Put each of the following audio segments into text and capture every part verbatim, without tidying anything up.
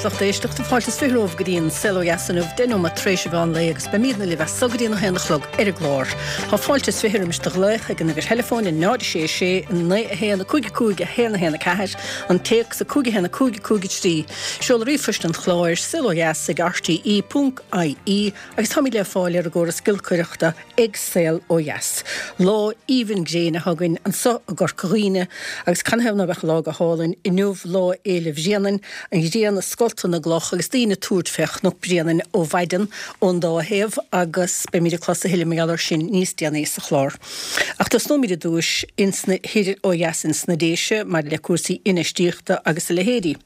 lucht éisteachta fáilte is fiche romhaibh go dtí an Saol Ó Dheas inniu deich nóiméad tar éis an mheán lae agus beimidne libh as so go dtí an haon a chlog ar an gclár. Tá fáilte is fiche roimis do ghlaoch ag an uimhir theileafóin náid sé sé naoi a haon a cúig a cúig a haon a haon a ceathair an téacs a cúig a haon a cúig a cúig a trí. Seoladh ríomhphoist an chláir saol ó dheas ag RTE ponc IE agus táimid le fáil ar an gcóras giolcaireachta ag Saol Ó Dheas. Lá aoibhinn gréine againn anseo i gCorca Dhuibhne agus canathaobh ná beadh lá go hálainn inniu Lá Fhéile Bhréanainn, an ghrian ag scoltadh na gcloch agus daoine ag tabhairt fé Chnoc Bréanainn ó mhaidin ón dá thaobh agus beimid ag clos a thuilleadh mar gheall air sin níos déanaí sa chlár. Ach tosnóimid ar dtúis insna thoir ó dheas ins na Déise maidir le cúrsaí infheistíochta agus a leithéidí.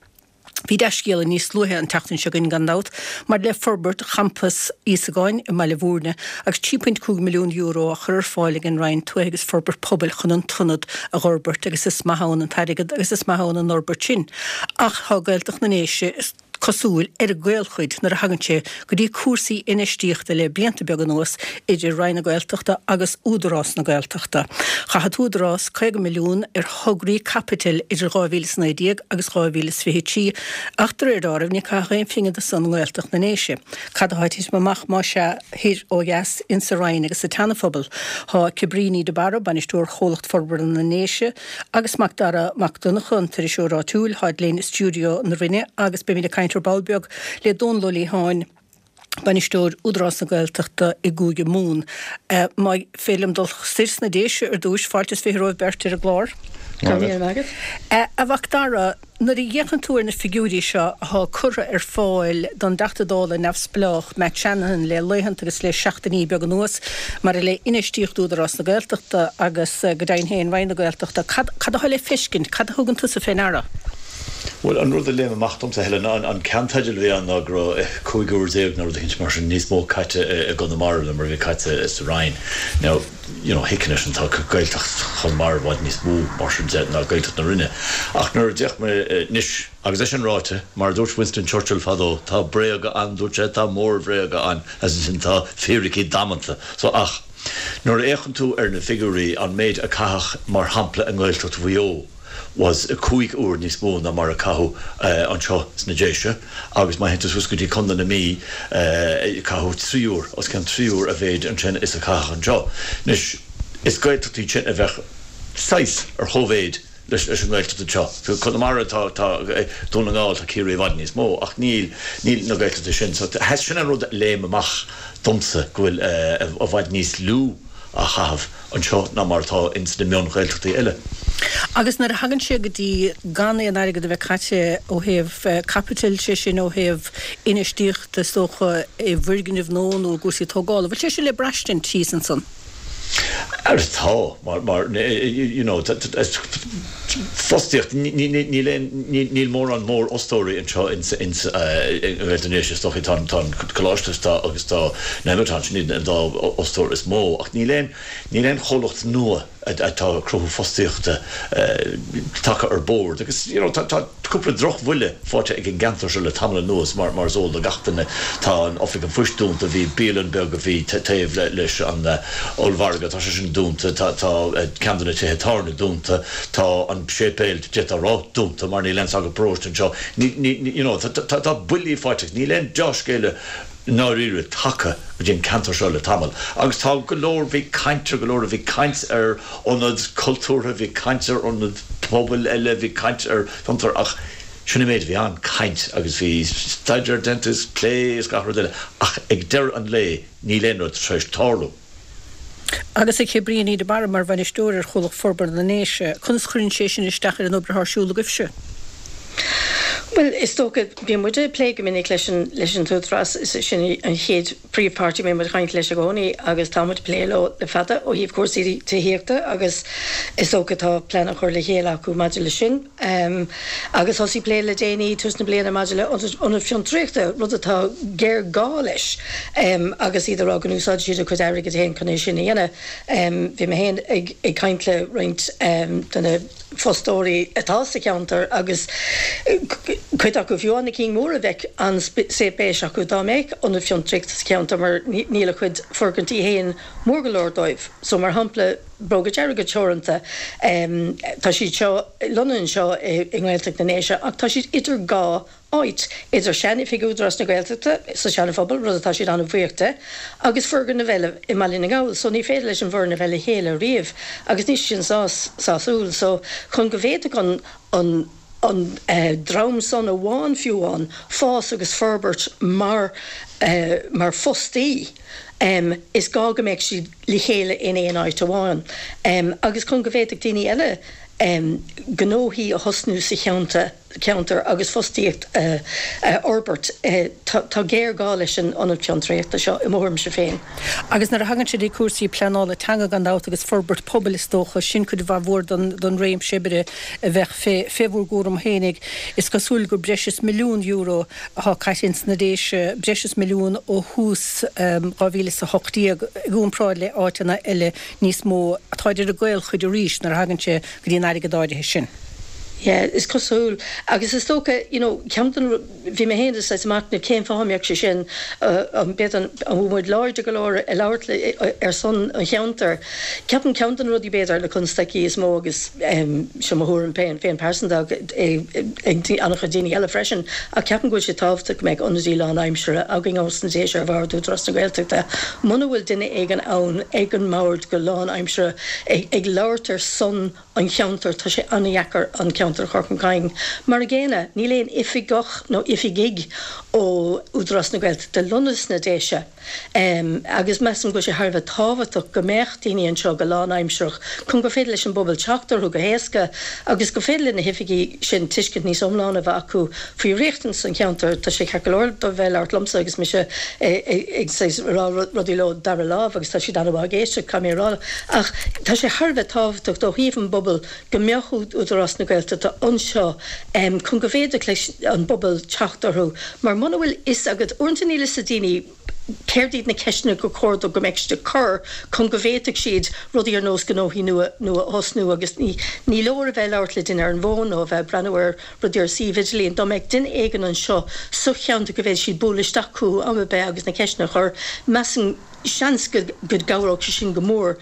Bhí dea-scéala níos luaithe an tseachtain seo againn gan dabht maidir le forbairt champas Íosagáin i mBaile Bhúirne agus trí phointe cúig milliún euro á chur ar fáil ag an Roinn Tuaithe agus Forbairt Pobail chun an t-ionad a dh'fhorbairt agus is maith ann an t-airgead agus is maith ann an fhorbairt sin. Ach tá Gaeltacht na nDéise is cosúil ar an gcaolchuid nuair a thagann sé go dtí cúrsaí infheistíochta le blianta beaga anuas idir Roinn na Gaeltachta agus Údarás na Gaeltachta. Chaith an tÚdarás caoga milliún ar thograí caipitil idir dhá mhíle is naoi déag agus dhá mhíle is fiche trí ach de réir dealraimh níor caitheadh aon phingin de san i nGaeltacht na nDéise. Cad atá ag titim amach más ea thoir ó dheas insa Roinn agus sa tSeana-Phobal? Tá Cabríní de Barra, bainisteoir Chomhlacht Forbartha na nDéise, agus Mac Dara Mac Donncha, an t-iriseoir áitiúil, táid linn i stiúideo na Rinne agus beimid ag caint ar ball beag le Dónal Ó Liatháin, bainisteoir Údarás na Gaeltachta i gCúige Mumhan. Má féidir liom dul soir sna Déise ar dtúis, fáilte is fiche romhaibh beirt ar an gclár. Go raibh míle maith agat. A Mhac Dara, nuair a fhéachann tú ar na figiúirí seo atá curtha ar fáil don dTeachta Dála neamhspleách Matt Shanahan le laethanta agus le seachtainí beaga anuas maidir le infheistíocht Údarás na Gaeltachta agus go deimhin féin Roinn na Gaeltachta, cad atá le feiscint, cad a thugann tusa fé ndeara? Bhuel, an rud a léim amach domsa, Helen, an ceannteideal a bhí ann ná go raibh cúig uair déag nó rud eicínt mar sin níos mó caite i gConamara ná mar a bhí caite sa Rinn. Now, you know, thuigfinn é sin, tá Gaeltacht Chonamara i bhfad níos mó mar sin de ná Gaeltacht na Rinne. Ach nuair a d'fhéach mé anois, agus é sin ráite, mar a dúirt Winston Churchill fadó, tá bréaga ann, dúirt sé, tá mórbhréaga ann, agus ansin tá fíricí damanta. So, ach nuair a fhéachann tú ar na figiúirí, an méid a caitheadh, mar shampla, i nGaeltacht Mhaigh Eo, was cúig uair níos mó ná mar a caitheadh anseo sna Déise agus má théann tú suas go dtí Contae na Mí caitheadh trí uair, os cionn trí uair a mhéid ansin is a caitheadh anseo. Anois, is Gaeltachtaí iad sin a bheadh saghas ar chóimhéid leis an nGaeltacht anseo. Conamara, tá, tá Dún na nGall, tá Ciarraí i bhfad níos mó ach níl, níl na Gaeltachtaí sin. So, sin an rud a léim amach domsa, go bhfuil i bhfad níos lú á chaitheamh anseo ná mar atá ins na mion-Ghaeltachtaí eile. Agus nuair a thagann sé go dtí gan aon airgead a bheith caite ó thaobh caipitil, sé sin ó thaobh infheistíochta is dócha i bhfoirgnimh nua nó i gcúrsaí tógála, bhfuil sé sin le braistint thíos ansan? Ara tá, mar, mar, you know, fostaíocht, níl aon, níl mórán mórfhostóirí anseo ins, ins, i nGaeltacht na nDéise is dócha, tá an, tá an coláiste tá agus tá Nemeton, sin iad an dá fhostóir is mó ach níl aon, níl aon chomhlacht nua atá ag cruthú fostaíochta tagtha ar bord agus you know tá, tá cúpla drochbhuille faighte ag an gceantar seo le tamall anuas mar, mar is eol do gach duine tá an Oifig an Phoist dúnta, bhí bialann beag a bhí taobh le, leis an ollmhargadh, tá sé sin dúnta, tá, tá ceann de na tithe tábhairne dúnta, tá an séipéal, d'fhéadfá a rá, dúnta mar níl aon sagart paróiste anseo, ní, ní, you know tá, tá, tá buillí faighte agus níl aon deá-scéala i ndáiríre tagtha go dtí an ceantar seo le tamall agus tá go leor, bhí caint ar go leor, bhí caint ar ionad cultúrtha, bhí caint ar ionad pobail eile, bhí caint ar fhiontar ach sin an méid a bhí ann, caint agus bhí staidéar déanta is plé is gach rud eile ach ag deireadh an lae níl aon rud tar éis tarlú. Agus a Chabríní de Barra, mar bhainisteoir ar Chomhlacht Forbartha na nDéise, conas chuireann sé sin isteach ar an obair atá ar siúl agaibhse? Bhuel, is dócha, bíonn muid ag plé go minic leis an leis an t-údarás, is é sin an chéad príomhpháirtí a mbíonn muid ag caint leis i gcónaí agus tá muid ag plé leo le fada ó thaobh cúrsaí tithíochta agus is dócha tá plean á chur le chéile acu maidir leis sin. Agus thosaigh plé le déanaí, tús na bliana, maidir le ionad fiontraíochta, rud atá géarghá leis, agus iad ag rá go n-úsáidfidh siad a gcuid airgid féin chun é sin a dhéanamh. Bhí mé féin ag caint le roinnt de na fostóirí atá sa cheantar agus Cuid acu fiú na cinn mhóra bheadh an-spéis acu dá mbeadh ionad fiontraíochta sa cheantar mar níl a gcuid foirgintí féin mór go leor dóibh. So mar shampla Bróga Dearga Teoranta tá siad seo lonnaithe anseo i nGaeltacht na nDéise ach tá siad idir dhá áit, idir sean-oifig Údarás na Gaeltachta sa Seana-Phobal, rud atá siad an-bhuíoch de, agus foirgneamh eile i mBaile na nGall. So ní féidir leis an bhfoireann a bheith le chéile riamh agus níl sin sásúil. So chun go bhféadfadh an an an dream san amháin fiú amháin fás agus forbairt mar mar fostaí, is gá go mbeadh siad le chéile in aon áit amháin agus chun go bhféadfadh daoine eile gnóthaí a thosnú sa cheantar agus fostaíocht a fhorbairt. Tá géarghá leis an ionad fiontraíochta seo, i mo thuairimse féin. Agus nuair a thagann sé dtí cúrsaí pleanála teanga gan dabht agus forbairt pobail is dócha, sin cuid mhaith mhór den réimse oibre a bheadh fé bhur gcúram fhéinig. Is cosúil gur breis is milliún euro atá caite ins na Déise, breis is milliún ó thús dhá mhíle is a hocht déag, i gcomparáid le áiteanna eile níos mó. Táid ar an gcaolchuid arís nuair a thagann sé go dtí an airgead áirithe sin. Yeah, is cosúil. Agus is dócha, you know, ceann den, bhí mé féin ag machnamh cén fáth a mbeadh sé sin, b'fhéidir an bhfuil muid láidir go leor ag labhairt ar son an cheantair. Ceapaim ceann de na rudaí b'fhéidir na constaicí is mó agus seo mo thuairim féin, féin pearsanta ag an-chuid daoine eile freisin, ach ceapaim go bhfuil sé tábhachtach go mbeadh ionadaí lánaimseartha againn ós na Déise ar bhord Údarás na Gaeltachta. Muna bhfuil duine éigin ann ag an mbord go lánaimseartha ag labhairt ar son an cheantair, tá sé an-dheacair an ceantar a chur chun cinn. Mar a gcéanna, níl aon oifigeach nó oifigigh ó Údarás na Gaeltachta lonnaithe sna Déise agus measaim go bhfuil sé thar a bheith tábhachtach go mbeadh daoine anseo go lánaimsearach chun gur féidir leis an bpobal teacht orthu go héasca agus gur féidir le na hoifigigh sin tuiscint níos iomláine a bheith acu faoi riachtanais an cheantair. Tá sé ceart go leor dóibh bheith ag labhairt liomsa agus mise ag rá rudaí leo dara lámh agus tá siad an-mhaith ag éisteacht, caithfidh mé a rá, ach tá sé thar a bheith tábhachtach ó thaobh an bpobal go mbeadh Údarás na Gaeltachta anseo chun go bhféadfadh leis an bpobal teacht orthu mar muna bhfuil fhios agat, uaireanta níl fhios ag daoine céard iad na ceisteanna gur chóir dóibh go mbeadh siad ag cur chun go bhféadfadh siad rudaí ar nós gnóthaí nua nua a thosnú agus ní ní leor a bheith ag labhairt le duine ar an bhfón nó a bheith ag breathnú ar rudaí ar suíomh idirlín. Dá mbeadh duine éigin anseo sa cheantar go bhféadfadh siad bualadh isteach chucu am ar bith agus na ceisteanna a chur, measaim seans go gcabhródh sé sin go mór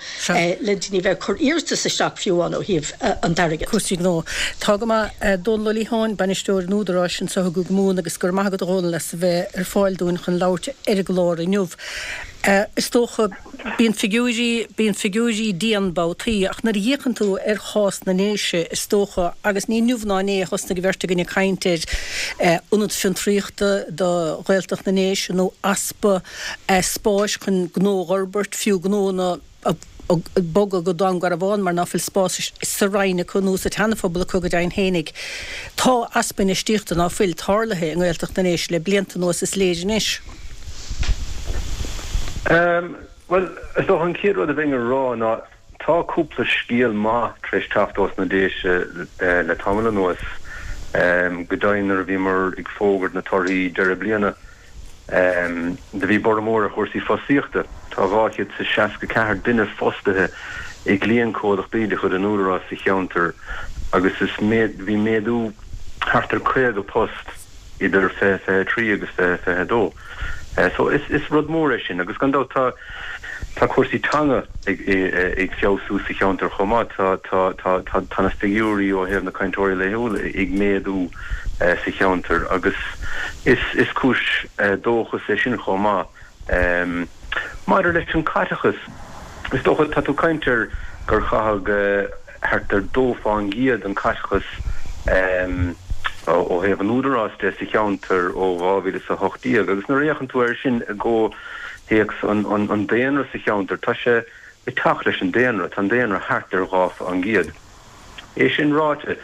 le daoine a bheith ag cur iarratas isteach fiú amháin ó thaobh an t-airgead. Cúrsaí gnó. Tá go maith. Dónal Ó Liatháin, Bainisteoir an Údaráis anseo i gCúige Mumhan agus go raibh maith agat a Dhónaill as a bheith ar fáil dúinn chun labhairt ar an gclár inniu. Is dócha, bíonn figiúirí, bíonn figiúirí dian babhtaí ach nuair a fhéachann tú ar chás na nDéise is dócha, agus ní inniu ná inné a thosnaigh an bheirt againn ag caint ar ionad fiontraíochta do Ghaeltacht na nDéise nó easpa spáis chun gnó a fhorbairt, fiú gnóanna a bogadh go Dún Garbhán mar ná fuil spás sa Rinn acu nó sa tSeanaphobal acu go deimhin fhéinig. Tá easpa infheistíochta, ná fuil, tarlaithe i nGaeltacht na nDéise le blianta anuas is léir anois. Bhuel, is dócha an chéad rud a bheinn a rá ná tá cúpla scéal maith tar éis teacht ós na Déise le tamall anuas. Go deimhin nuair a bhíomar ag fógairt na torthaí deireadh bliana, Do bhí borradh mór ar chúrsaí fostaíochta. Tá dhá chéad is a seasca ceathair duine fostaithe i gcliantchomhlachtaí de chuid an Údaráis sa cheantar agus is bhí méadú thart ar caoga post idir fiche fiche a trí agus fiche fiche a dó. So is rud mór é sin agus gan dabht tá Tá cúrsaí teanga ag feabhsú sa cheantar chomh maith. Tá na figiúirí ó thaobh na cainteoirí laethúla ag méadú sa cheantar agus is cúis dóchais é sin chomh maith. Maidir leis an caiteachas, is dócha, tá tú ag caint ar gur caitheadh thart ar dó fán gcéad den caiteachas ó thaobh an Údaráis de sa cheantar ó dhá mhíle is a hocht déag agus nuair a fhéachann tú air sin i gcomh théacs an daonra sa cheantar, tá sé ag teacht leis an daonra, tá an daonra thart ar dhá fán gcéad. É sin ráite,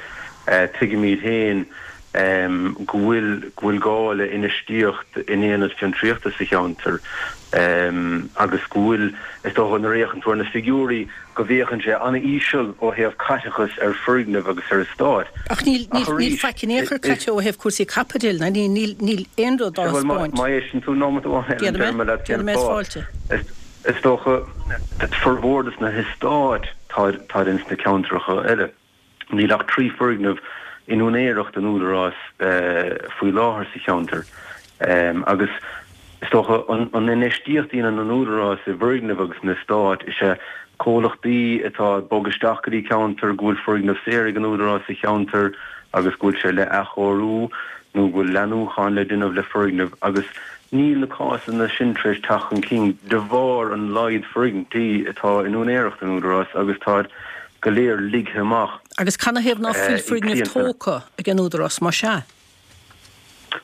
tuigimid féin go bhfuil go bhfuil gá le infheistíocht in aonad fiontraíochta sa cheantar agus go bhfuil, is dócha, nuair a fhéachann tú ar na figiúirí, go bhféachann sé an-íseal ó thaobh caiteachas ar foirgnimh agus ar eastáit. Ach níl, níl, níl faic in aon chor caite ó thaobh cúrsaí caipitil, ná níl, níl, níl aon rud á thaispeáint. Má éisteann tú nóiméad amháin, Helen, déarfaidh mé leat cén fáth. Is dócha, formhór de na heastáit táid ins na ceantracha eile. Níl ach trí foirgneamh in úinéireacht an Údaráis faoi láthair sa cheantar agus is dócha an infheistíocht a dhéanann an Údarás i bhfoirgnimh agus in eastáit is ea comhlachtaí atá ag bogadh isteach go dtí ceantar go bhfuil foirgneamh saor ag an Údarás sa cheantar agus go bhfuil sé le athchóiriú nó go bhfuil leathnúchán le déanamh le foirgneamh agus níl na cásanna sin tar éis teacht chun cinn de bharr an laghad foirgintí atá in úinéireacht an Údaráis agus táid go léir ligthe amach. Agus canathaobh ná fuil foirgneamh tógtha ag an Údarás más ea?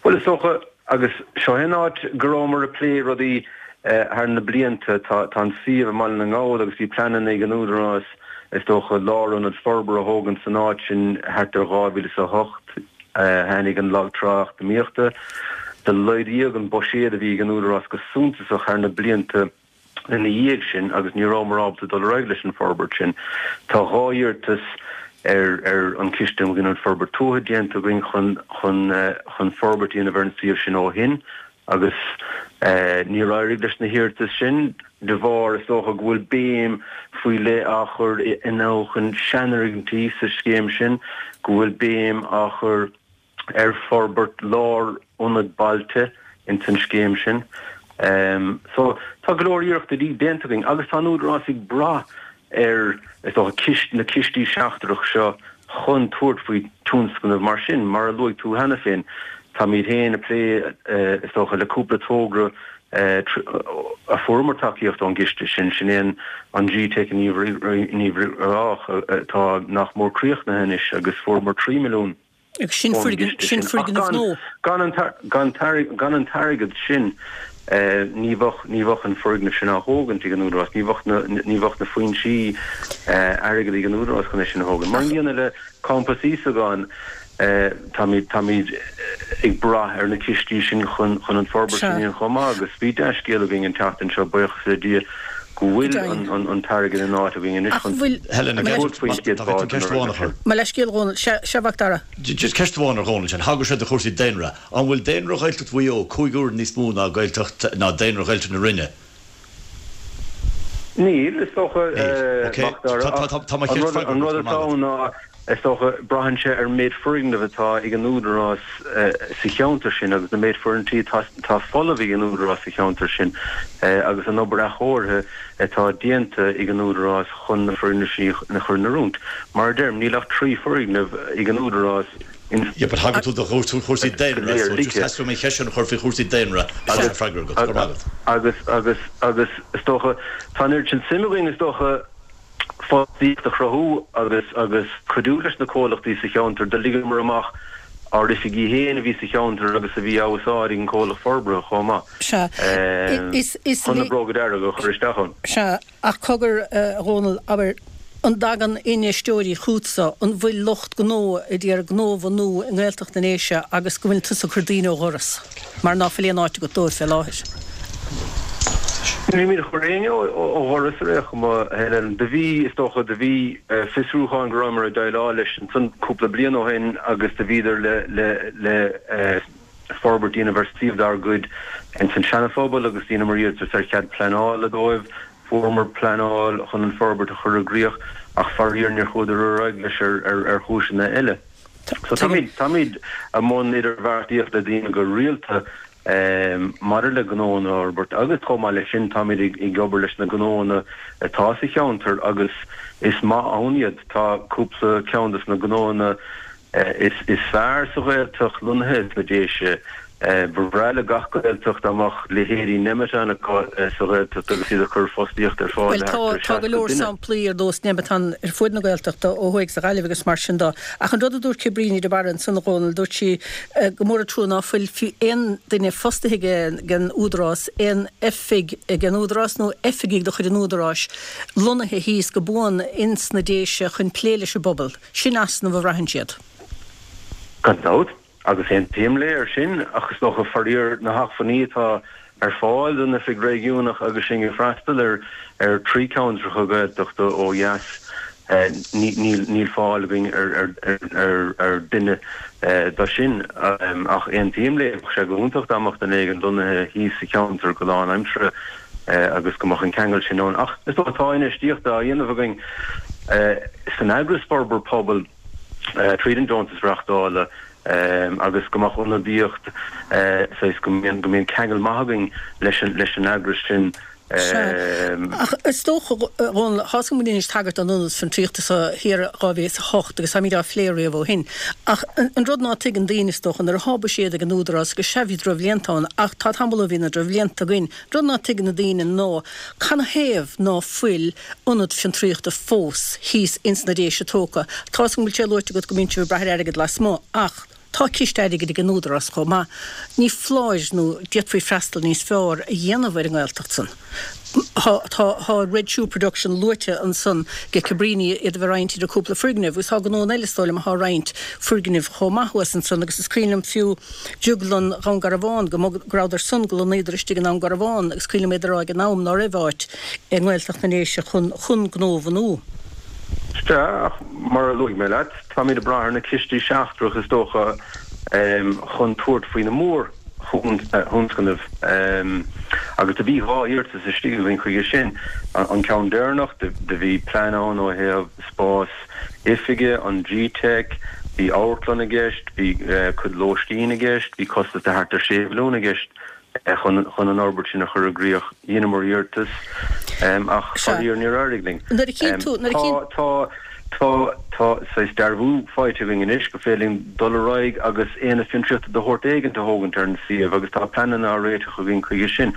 Bhuel is dócha, agus seo é an áit go rabhamar ag plé rudaí thar na blianta, tá an suíomh i mBaile na nGall agus bhí pleananna ag an Údarás is dócha lárionad forbartha a thógaint san áit sin thart ar dhá mhíle is a hocht. Tháinig an lag trá eacnamaíochta. Do laghdaíodh an buiséad a bhí ag an Údarás go suntasach thar na blianta ina dhiaidh sin agus ní rabhamar ábalta dul ar aghaidh leis an bhforbairt sin. Tá dhá iarratas ar ar an Chiste um Ghiniúint Forbairt Tuaithe déanta againn chun chun chun forbairt a dhéanamh ar an suíomh sin ó shin agus níor éirigh leis na hiarratais sin de bharr, is dócha, go bhfuil béim faoi leith á chur i athnuachan seanfhoirgintí sa scéim sin, go bhfuil béim á chur ar forbairt lárionad bailte ins an scéim sin. So, tá go leor iarrachtaí déanta againn agus tá an Údarás ag brath ar, is dócha, cist, na cistí seachtrach seo chun tabhairt faoi tionscnamh mar sin. Mar a luaigh tú cheana féin, táimid féin ag plé, is dócha, le cúpla togra a fuaireamar tacaíocht ón gciste sin, sin é an G-Teic in Uíbh Ráthach atá nach mór críochnaithe anois agus fuaireamar trí milliún. Agus sin sin foirgneamh nua. Gan an t-airgead sin ní bheadh ní bheadh an foirgneamh sin á thógaint ag an Údarás, ní bheadh na ní bheadh na foinsí airgid ag an Údarás chun é sin a thógaint. Mar an gcéanna le Campas Íosagáin, táimid táimid ag brath ar na cistí sin chun chun an forbairt sin a dhéanamh chomh maith agus bhí dea-scéal againn an tseachtain seo, buíochas le Dia, go bhfuil an t-airgead in áit againn anois chun tabhairt faoin gcéad bhád den fhoirgneamh sin. Mo leithscéal, a Dhónaill. Sea, a Mhac Dara. Just ceist amháin ar Dhónall sin. Thagair sé do chúrsaí daonra. An bhfuil daonra Ghaeltacht Mhaigh Eo cúig uair níos mó ná Gaeltacht, ná daonra Ghaeltacht na Rinne? Níl, is dócha, Mac Dara, ach an rud atá ann ná, Is dócha, braitheann sé ar an méid foirgneamh atá ag an Údarás sa cheantar sin agus na méid foirgintí atá folamh ag an Údarás sa cheantar sin agus an obair athchóirithe atá déanta ag an Údarás chun na foirgnimh sin a chur in oiriúint. Mar a deirim, níl ach trí foirgneamh ag an Údarás in Yeah, but thagair tú do chúrsaí daonra, so just theastaigh uaim an cheist sin a chur faoi chúrsaí daonra agus an freagra agat. Go raibh maith agat. Agus, agus, agus is dócha, tá an oiread sin suim againn, is dócha, fostaíocht a chruthú agus agus cuidiú leis na comhlachtaí sa cheantar. Do ligeamar amach ár oifigí féin a bhí sa cheantar agus a bhí á úsáid ag an comhlacht forbartha chomh maith Sea. Is, is chun na bróga dearga a chur isteach ann. Sea, ach cogar, a Dhónaill, abair, an dtagann infheisteoirí chugatsa, an bhfuil lucht gnó a d'iarraidh gnó a bhunú i nGaeltacht na nDéise agus go bhfuil tusa ag cur daoine ó dhoras mar ná fuil aon áit agat dóibh fé láthair? Nílimid ag cur éinne ó dhoras ar aon chuma, a Helen. Do bhí, is dócha, do bhí fiosrúchán go rabhamar ag déileáil leis ansan cúpla bliain ó shin agus do bhíodar le, le, le forbairt a dhéanamh ar suíomh dár gcuid ins an Seana-Phobal agus dheineamar iarratas ar chead pleanála dóibh. Fuaireamar pleanáil chun an forbairt a chur i gcrích ach faraor níor chuadar ar aghaidh leis ar, ar, ar chúiseanna eile. So táimid, táimid i mbun idirbheartaíocht le daoine go rialta Maidir le gnóanna a fhorbairt agus chomh maith leis sin táimid ag obair leis na gnóanna atá sa cheantar agus is maith ann iad. Tá cúpla ceann de na gnóanna is fearr sa Ghaeltacht lonnaithe sna Déise. Ba bhreá le gach Gaeltacht dá mbeadh leithéidí Nemeton acu sa Ghaeltacht agus iad ag cur fostaíocht ar fáil Bhuel do tá, thart ar tá go seasca leor duine. samplaí ar nós Nemeton ar fuaid na Gaeltachta ó thuaidh sa Ghaillimh agus mar sin de. Ach an rud a dúirt Cabríní de Barra ansan a Dhónaill, dúirt sí gur mór an trua ná fuil fiú aon duine fostaithe ag an Údarás, aon oifig ag an Údarás nó oifigigh de chuid an Údaráis lonnaithe thíos go buan ins na Déise chun plé leis an bpobal. Sin easnamh a bhraitheann siad. Gan dabht, agus aontaím léi ar sin, ach is dócha, faraor, na hacmhainní atá ar fáil don oifig réigiúnach agus sinn ag freastal ar ar trí ceantracha Gaeltachta ó dheas, níl fáil againn ar duine do sin. Ach aontaím léi, bheadh sé go hiontach dá mbeadh duine éigin lonnaithe thíos sa cheantar go lánaimseartha agus go mbeadh an ceangal sin ann. Ach is dócha tá infheistíocht á dhéanamh againn san eagras Forbairt Pobail, tríd an deontas reachtála agus go mbeadh ionadaíocht saghas go mbíonn go mbíonn ceangal maith againn leis an leis an eagras sin. Sea. Ach is dócha, a Dhónaill, tá's agam go ndearnais tagairt don ionad fiontraíochta so thiar dhá mhíle is a hocht agus táimid á phlé riamh ó shin. Ach an rud ná tuigeann daoine, is dócha, nuair atá buiséad ag an Údarás, agus sea bhí drochbhlianta ann ach tá tamall ó bhí na drochbhlianta againn, rud ná tuigeann na daoine ná canathaobh ná fuil ionad fiontraíochta fós thíos ins na Déise tógtha. Tá's agam go bhfuil sé luaite agat go mbíonn sibh ag brath ar airgead lasmuigh ach tá ciste airgid ag an Údarás chomh maith. Ní foláir nó d'fhéadfaí freastal níos fearr a dhéanamh ar an nGaeltacht san. Tá tá Red Shoe Production luaite ansan ag Cabrini, iad a bheith roinnt idir cúpla foirgneamh agus tá gnónna eile is dóigh liom atá roinnt foirgnimh chomh maith thuas ansan agus is cuimhin liom fiú Drioglann Dhún Garbhán go go rabhadar san go lonnaíodar istigh i nDún Garbhán agus cuimhin liom iad a rá ag an am ná raibh áit i nGaeltacht na nDéise chun chun gnó a bhunú. Sea, ach mar a luaigh mé leat, táimid ag brath ar na cistí seachtrach is dócha chun tabhairt faoi na mórthionscnaimh agus do bhí dhá iarratas istigh againn chuige sin. An ceann deireanach, do bhí plean ann ó thaobh spás oifige, an G-Teic, bhí amharclann i gceist, bhí cuid lóistín i gceist, bhí costas de thart ar sé mhilliún i gceist. chun an fhorbairt sin a chur i gcrích. Dheineamar iarratas ach faraor níor éirigh linn. Tá tá tá saghas dearbhú faighte againn anois go féidir linn dul ar aghaidh agus aonad fiontraíochta de shórt éigint a thógaint ar an suíomh agus tá pleananna á réiteach againn chuige sin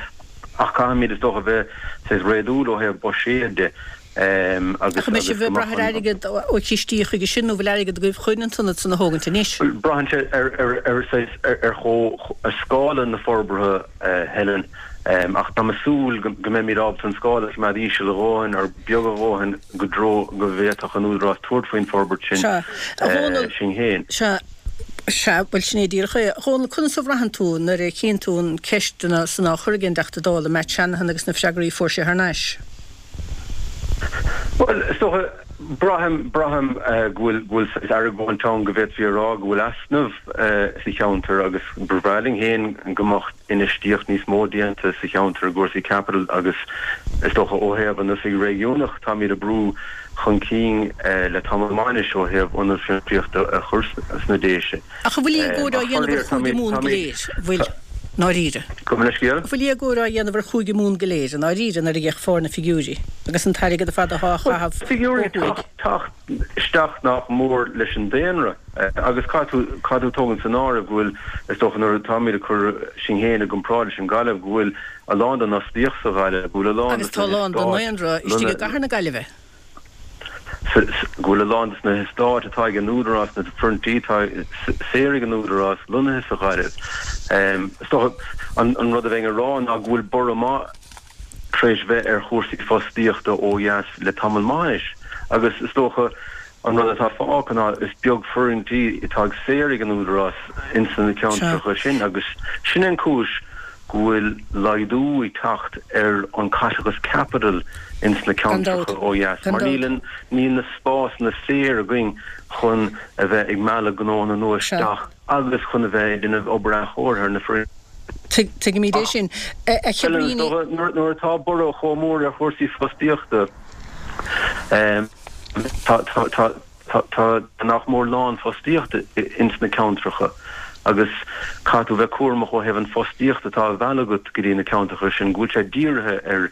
ach caithfimid is dócha bheith saghas réadúil ó thaobh buiséad de. Agus Ach an mbeidh sibh ag brath ar airgead ó chistí chuige sin nó bhfuil airgead agaibh chun an t-ionad san a thógaint anois? Bhuel, braitheann sé ar ar saghas ar chomh ar scála na forbartha, Helen, ach táim ag súil go mbeimid ábalta an scála a choimeád íseal a dhóthain or beag a dhóthain go dtreo go bhféadfadh an Údarás tabhairt faoin forbairt sin Sea, a Dhónaill, sinn féin. Sea, sea, bhuel sin é díreach é. A Dhónaill, conas a bhraitheann tú nuair a chíonn tú an ceisteanna san á chur ag an dTeachta Dála Matt Shanahan agus na freagraí a fuair sé thar n-ais? Bhuel, is dócha, braithim, braithim go bhfuil, go bhfuil saghas argóint ann go bhféadfaí a rá go bhfuil easnamh sa cheantar agus ba bhreá linn féin go mbeadh infheistíocht níos mó déanta sa cheantar i gcúrsaí caipitil agus is dócha ó thaobh an oifig réigiúnach táimid ag brú chun cinn le tamall maith anois ó thaobh ionad fiontraíochta a chur sna Déise. Ach an bhfuil éagóir á dhéanamh ar Chúige Mumhan go léir? An bhfuil? ndáiríre. Gabh mo leithscéal. An bhfuil éagóir á dhéanamh ar Chúige Mumhan go léir, i ndáiríre, nuair a d'fhéachfá ar na figiúirí agus an t-airgead ar fad atá á chaitheamh ó Figiúirí thuaidh. teacht isteach nach mór leis an daonra agus caithfidh tú caithfidh tú tógaint san áireamh go bhfuil, is dócha nuair atáimid ag cur sinn féin i gcomparáid leis an Ghaillimh, go bhfuil a lán den fhostaíocht sa Ghaillimh, go bhfuil a lán Agus de tá a na lán den heastáit ndaonra istigh i gcathair na Gaillimhe. go bhfuil a lán de na heastáit atá ag an Údarás, na foirgintí atá saor ag an Údarás, lonnaithe sa Ghaillimh. Is dócha an rud a bheinn a rá ná go bhfuil borradh maith tar éis bheith ar chúrsaí fostaíochta ó dheas le tamall maith anois agus is dócha an rud atá fágtha ná is beag foirgintí atá ag saor ag an Údarás ins na ceantracha sin agus sin an cúis go bhfuil laghdú ag teacht ar an caiteachas caipitil ins na Gan dabht. ceantracha ó dheas Gan mar dabht. níl an, níl na spásanna saor againn chun a bheith ag mealladh gnóanna nua Sea. isteach agus chun a bheith ag déanamh obair athchóirithe ar na foirgnimh. Tuig, tuigimid é Ach sin. A, a Helen, is Chabríní. dócha, nuair, nuair atá borradh chomh mór ar chúrsaí fostaíochta, em, tá, tá, tá, Tá nach mór lánfhostaíocht ins na ceantracha agus caithfidh tú bheith cúramach ó thaobh an fostaíocht atá á mhealladh agat go dtí na ceantracha sin, go bhfuil sé dírithe ar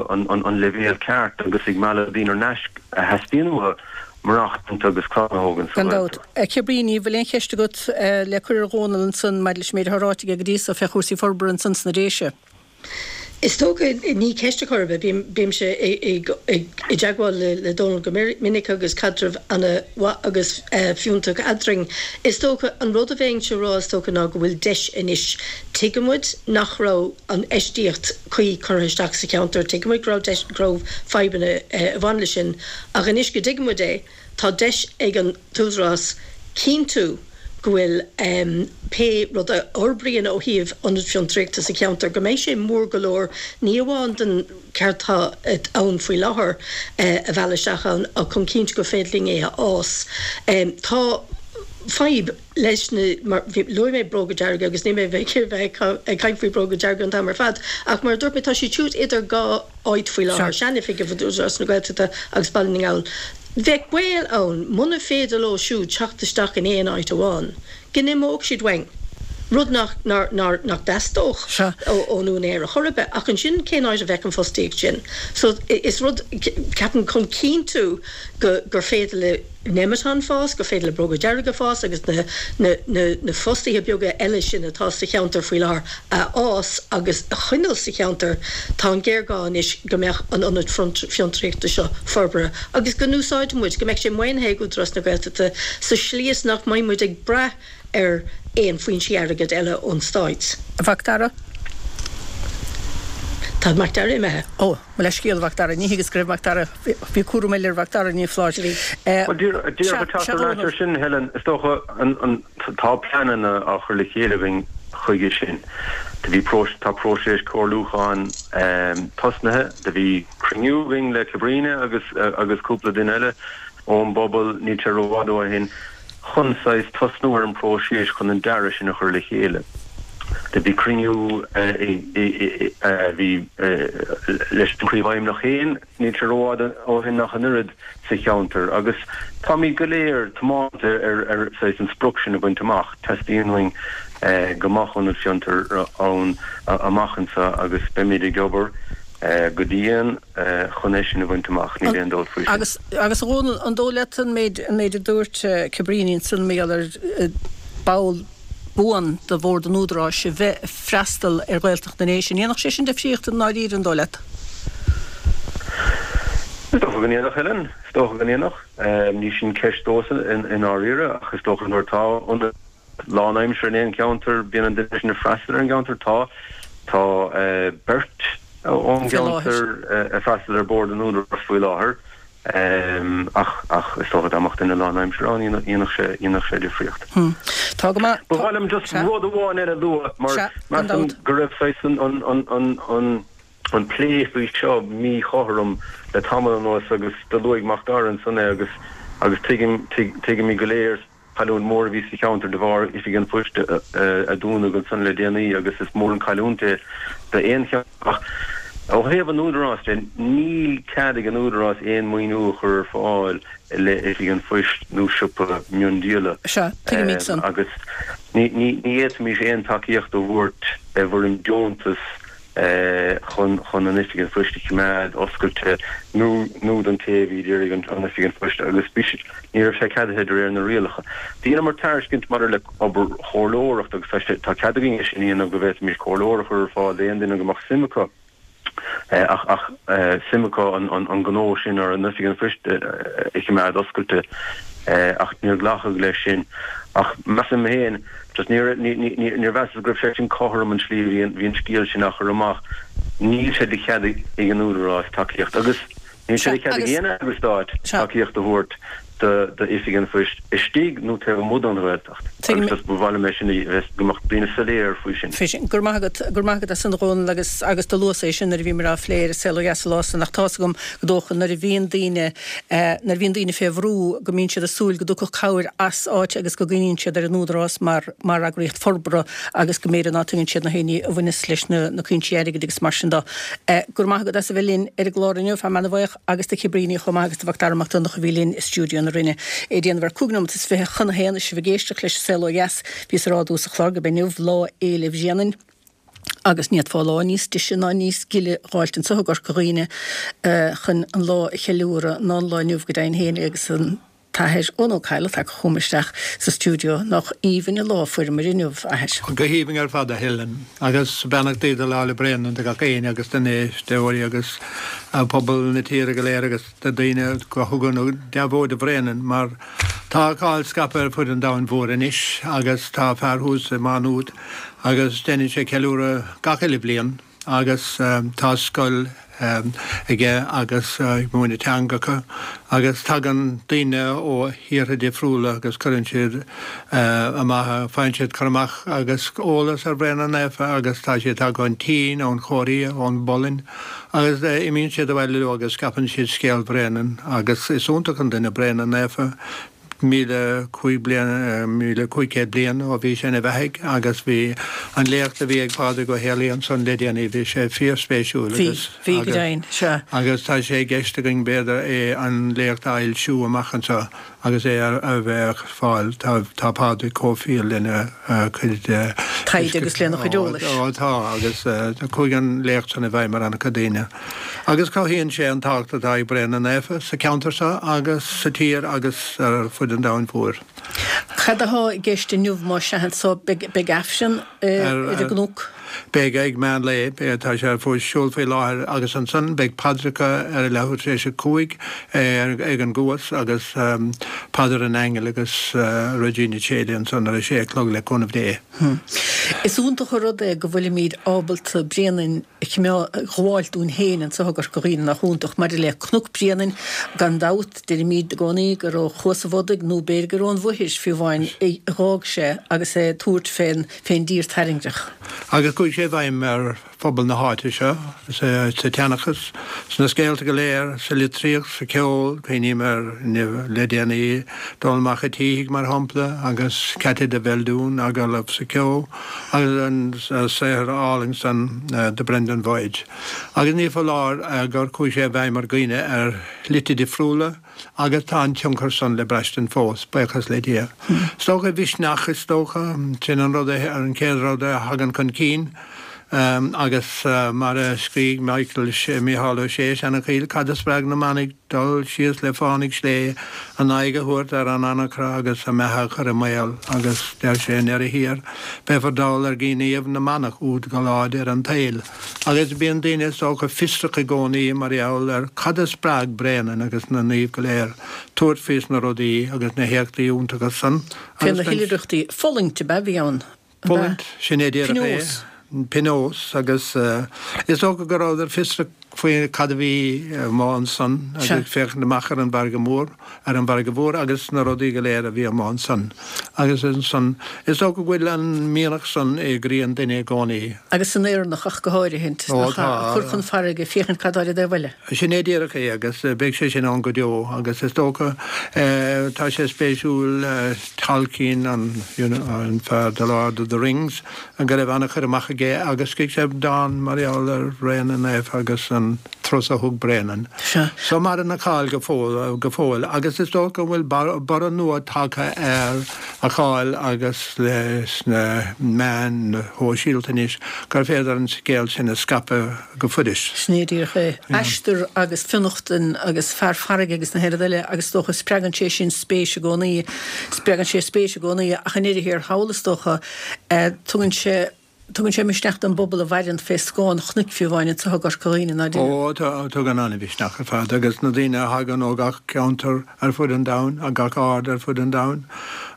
an leibhéal ceart agus ag mealladh daoine thar n-ais a theastaíonn uathu maireachtaint agus clann a thógaint sa Gan dabht. Ghaeltacht. A Chabríní, bhfuil aon cheist agat le cur ar Dhónal ansan maidir leis an méid atá ráite aige go dtí so fé chúrsaí forbartha ansan sna Déise? Is dócha, ní ceist ar chor ar bith, bímse i dteagmháil le Dónal go minic agus caidreamh ana-mhaith agus fiúntach eadrainn. Is dócha, an rud a bheinnse a rá is dócha ná go bhfuil deis anois. Tuigeann muid nach raibh an infheistíocht cuí curtha isteach sa cheantar, tuigeann muid go raibh deis, go raibh fadhbanna a bhain leis sin ach anois go dtuigeann muid é, tá deis ag an t-údarás cinntiú go bhfuil pé rud a fhorbraíonn ó thaobh ionad fiontraíochta sa cheantar, go mbeidh sé mór go leor, ní amháin don ceart atá ann faoi láthair a mhealladh isteach ann ach chun cinntiú gur féidir linn é a fhás. Tá fadhb leis na, mar luaigh mé Bróga Dearga agus níl mé ag bheith ag caint faoi Bróga Dearga an t-am ar fad ach mar a dúirt mé tá siad siúd idir dhá áit faoi láthair, seanoifig Údarás na Gaeltachta agus Baile na nGall. Bheadh baol ann, muna féidir leo siúd teacht isteach in aon áit amháin, go n-imeodh siad uainn, rud nach nach dteastódh ón úinéir ar chor ar bith. Ach ansin cén áit a bheadh an fostaíocht sin? So is rud, ceapaim, chun cinntiú go gur féidir le Nemeton fás, gur féidir le Bróga Dearga fás agus na na na fostaithe beaga eile sin atá sa cheantar faoi láthair a fhás agus a choinneáil sa cheantar, tá an géarghá anois go mbeadh an ionad fiontraíochta seo forbartha agus go n-úsáidfidh muid, go mbeidh sé maoinithe ag Údarás na Gaeltachta sa slí is nach mbeidh muid ag brath ar aon foinsí airgid eile ón Stát. A Mhac Dara? Tá Mac Dara imithe. Ó, mo leithscéal, a Mhac Dara, ní thuigeas go raibh Mac Dara, bhí cúram eile ar Mhac Dara, ní foláir. Bhuel, díreach ag teacht ar ais ar sin, Helen, is dócha, tá pleananna á chur le chéile againn chuige sin. Do bhí, tá próiseas comhairliúcháin tosnaithe, do bhí cruinniú againn le Cabríona agus agus cúpla duine eile ón bpobal níl sé rófhada ó shin. chun saghas tosnú ar an bpróiseas chun an dearadh sin a chur le chéile. Do bhí cruinniú a bhí leis an Príomhfheidhmeannach féin níl sé rófhada ó shin ach an oiread sa cheantar agus táimid go léir tiomanta ar saghas an sprioc sin a bhaint amach. Teastaíonn uainn go mbeadh ionad fiontair ann amach anseo agus beimid ag obair go dian chun é sin a bhaint amach, níl aon dabht faoi sin. Agus, agus a Dhónaill, an dóigh leat an méid, an méid a dúirt Cabríní ansan mar gheall ar ball buan de Bhord an Údaráis a bheith ag freastal ar Ghaeltacht na nDéise, an ndéanfadh sé sin difríocht i ndáiríre, an dóigh leat? Is dócha go ndéanfadh, Helen, is dócha go ndéanfadh. Ní sin ceist domhsa i ndáiríre ach is dócha nuair atá ionad lánaimseartha in aon cheantar, bíonn an duine sin ag freastal ar an gceantar. Tá, tá beirt ón gceantar ag freastal ar Bhord an Údaráis faoi láthair, ach, ach is dócha dá mbeadh duine lánaimseartha ann, dhéanfadh sé, dhéanfadh sé difríocht. Tá go maith. Ba mhaith liom just rud amháin eile a lua, mar measaim go raibh saghas an, an, an, an, an, an plé faoi seo míchothrom le tamall anuas agus do luaigh Mac Dara ansan é agus, agus tuigim, tuigimid go léir, Cailliúint mhór a bhí sa cheantar de bharr Oifig an Phoist a dúnadh ansan le déanaí agus is mór an chailliúint é d'aon cheantar. Ach ó thaobh an Údaráis de, níl cead ag an Údarás aon maoiniú a chur ar fáil i leith Oifig an Phoist nó siopa miondíola. Sea, tuigimid san. Agus ní fhéadfaimis aon tacaíocht a thabhairt i bhfoirm deontas chun chun an Oifig an Phoist a choimeád oscailte nó nó don té a bhí ag iarraidh an an Oifig an Phoist agus bhí sé ní raibh sé ceadaithe de réir na rialacha. Dheineamar tairiscint maidir le obair chomhairleoireachta agus tá sé tá cead againn é sin a dhéanamh go bhféadfaimis comhairleoir a chur ar fáil d'aon duine go mbeadh suim acu ach ach suim acu an an an gnó sin ar an Oifig an Phoist a choimeád oscailte ach níor glacadh leis sin. Ach measaim féin Just níor, níor mheasas go raibh sé sin cothrom an tslí a bhí an, bhí an scéal sin á chur amach. Níl sé de chead ag an Údarás tacaíocht agus níl sé de chead ag aon eagras stáit tacaíocht a thabhairt do, d'Oifig an Phoist istigh nó taobh amuigh den Ghaeltacht. Agus just ba mhaith liom é sin a bheith, go mbeadh daoine soiléir faoi sin. Faoi sin. Go raibh maith agat, go raibh maith agat as san a Dhónaill agus, agus do luas é sin nuair a bhíomar á phlé ar An Saol Ó Dheas an lá san ach tá's agam go dócha nuair a bhíonn daoine, nuair a bhíonn daoine fé bhrú go mbíonn siad ag súil go dtiocfadh cabhair as áit agus go gcuimhníonn siad ar an Údarás mar mar eagraíocht forbartha agus go mb'fhéidir ná tuigeann siad na haoinní a bhaineas leis na na cúinsí airgid agus mar sin de. Go raibh maith agat as a bheith linn ar an gclár inniu, a Fear Bhuíoch agus do Chabríní chomh maith agus do Mhac Dara Mac Donncha a bhí linn i stiúideo na Rinne. É ag déanamh ar cúig nóimeat is fiche chun a haon is sibh ag éisteacht leis an Saol Ó Dheas. Bhíos ag rá i dtús an chláir gurb é inniu Lá Fhéile Bhréanainn. Agus ní fhéadfá lá níos deise ná níos gile a dh'fháilt anso i gCorca Dhuibhne chun an lá a cheiliúradh ná an lá inniu go deimhin féin agus an tAthair Eoin Ó Cadhla tagtha chugam isteach sa stiúideo. Nach aoibhinn an lá a fuaireamar inniu, a Athair. Go haoibhinn ar fad, a Helen. Agus beannachtaí do Lá 'le Bréanainn do gach éinne agus do na héisteoirí agus pobal na tíre go léir agus do daoine go thugann deabhóid do Bhréanainn mar tá a cháil scaipthe ar fud an domhain mhóir anois agus tá fear thuas i Má Nuad agus déanann sé ceiliúradh gach uile bhliain agus tá scoil aige agus ag múineadh teangacha agus tagann daoine ó thíortha difriúla agus cuireann siad amach, faigheann siad cur amach agus eolas ar Bhréanainn Naofa agus tá siad tagtha ón tSín, ón Chóiréa, ón bPolainn agus imíonn siad abhaile leo agus scaipeann siad scéal Bhréanainn agus is iontach an duine Bréanainn Naofa. míle cúig bliain, míle cúig chéad bliain ó bhí sé ina bheathaidh agus bhí an léacht a bhí ag Pádraig Ó Héalaí ansan le déanaí, bhí sé fíorspéisiúil agus Bhí, bhí go deimhin, sea. agus tá sé i gceist againn b'fhéidir é an léacht a fhoilsiú amach anseo agus é a bheith ar fáil. Tá, tá Pádraig chomh fial lena chuid Taighde agus lena chuid eolais. Ó tá agus chuaigh an léacht san i bhfeidhm ar an-chuid daoine. Agus cothaíonn sé an tábhacht atá ag Bréanainn Naofa sa cheantar seo agus sa tír agus ar fud an domhain mhóir. Cad atá i gceist inniu más ea anso? Beidh Aifreann ar an gcnoc? Beidh ag meán lae, beidh, tá sé ar siúl faoi láthair agus ansan beidh paidreacha ar a leathuair tar éis a cúig ag an gCuas agus Paidir an Aingil agus Regina Coeli ansan ar a sé a chlog le cúnamh Dé. Is iontach an rud é go bhfuilimid ábalta Bréanainn a ghabháil dúinn féin anso i gCorca Dhuibhne nach iontach maidir le Cnoc Bréanainn gan dabht deirimid i gcónaí gur ó Chuas an Bhodaigh nó b'fhéidir gur ón Mhuiris fiú amháin a dh'fhág sé agus é ag tabhairt fén fén dtír tairngreach. Agus chuaigh sé i bhfeidhm ar phobal na háite seo, sa tseanchas, sna scéalta go léir, sa litríocht, sa cheol, cuimhním ar le déanaí Dónall Mac a' tSíthigh mar shampla agus Ceaití de Bheildiún, agallamh sa cheo agus an saothar álainn san The Brendan Voyage. Agus ní foláir gur chuaigh sé i bhfeidhm ar dhaoine ar shlite difriúla agus tá an tionchar san le braistint fós, buíochas le Dia. Is dócha misneach, is dócha, sin an rud, an chéad rud a thagann chun cinn. Agus mar a scrígh Michael, Mícheál Ó Sé, Seanachaill, cad a spreag na manaigh dul síos le fánaidh slé, a n-aghaidh a thabhairt ar an anacra agus a mbeatha a chur i mbaol, agus deir sé i ndeireadh thiar, beifear dall ar ghníomh na manach úd go lá deireadh an tsaoil. Agus bíonn daoine is dócha fiosrach i gcónaí mar gheall ar cad a spreag Bréanainn agus na naoimh go léir tabhairt faoi sna rudaí agus na héachtaí iontacha san. Fé na hoilithreachtaí, fulaingt ab ea a bhí ann, ab ea? Fulaingt, sin é díreach é. Pionós. Pionós agus is dócha go rabhadar fiosrach faoi cad a bhí amuigh ansan agus ag féachaint amach ar an bhfarraige mhór, ar an bhfarraige mhór agus na rudaí go léir a bhí amuigh ansan. Agus ansan, is dócha go bhfuil an mianach san i gcroí an duine i gcónaí. Agus san Éireannach ach go háirithe, Ó, nach ea? tá. Cur chun farraige, féachaint cad atá ar an dtaobh eile. Sin é díreach é agus beidh sé sin ann go deo agus is dócha, tá sé spéisiúil, Tolkien, an, you know, an fear The Lord of the Rings, go raibh an-chur amach aige agus scrígh sé dán mar gheall ar Bhréanainn Naofa agus an turas a thug Bréanainn. Sea. So maireann a cháil go fóill, go fóill agus is dócha go bhfuil borradh nua tagtha ar a cháil agus leis na meáin shóisialta anois gur féidir an scéal sin a scaipeadh go fuirist. Sin é díreach é. Aistear agus fionnachtain agus fear farraige agus na haon rud eile agus is dócha spreagann sé sin spéis i gcónaí, spreagann sé spéis i gcónaí ach i ndeireadh thiar thall is dócha tugann sé, tugann sé misneach don bpobal a mhaireann fé scáth an chnoic fiú amháin anso i gCorca Dhuibhne, ná deir? Ó, tá, tugann an-mhisneach ar fad agus na daoine a thagann ó gach ceantar ar fud an domhain, ó gach aird ar fud an domhain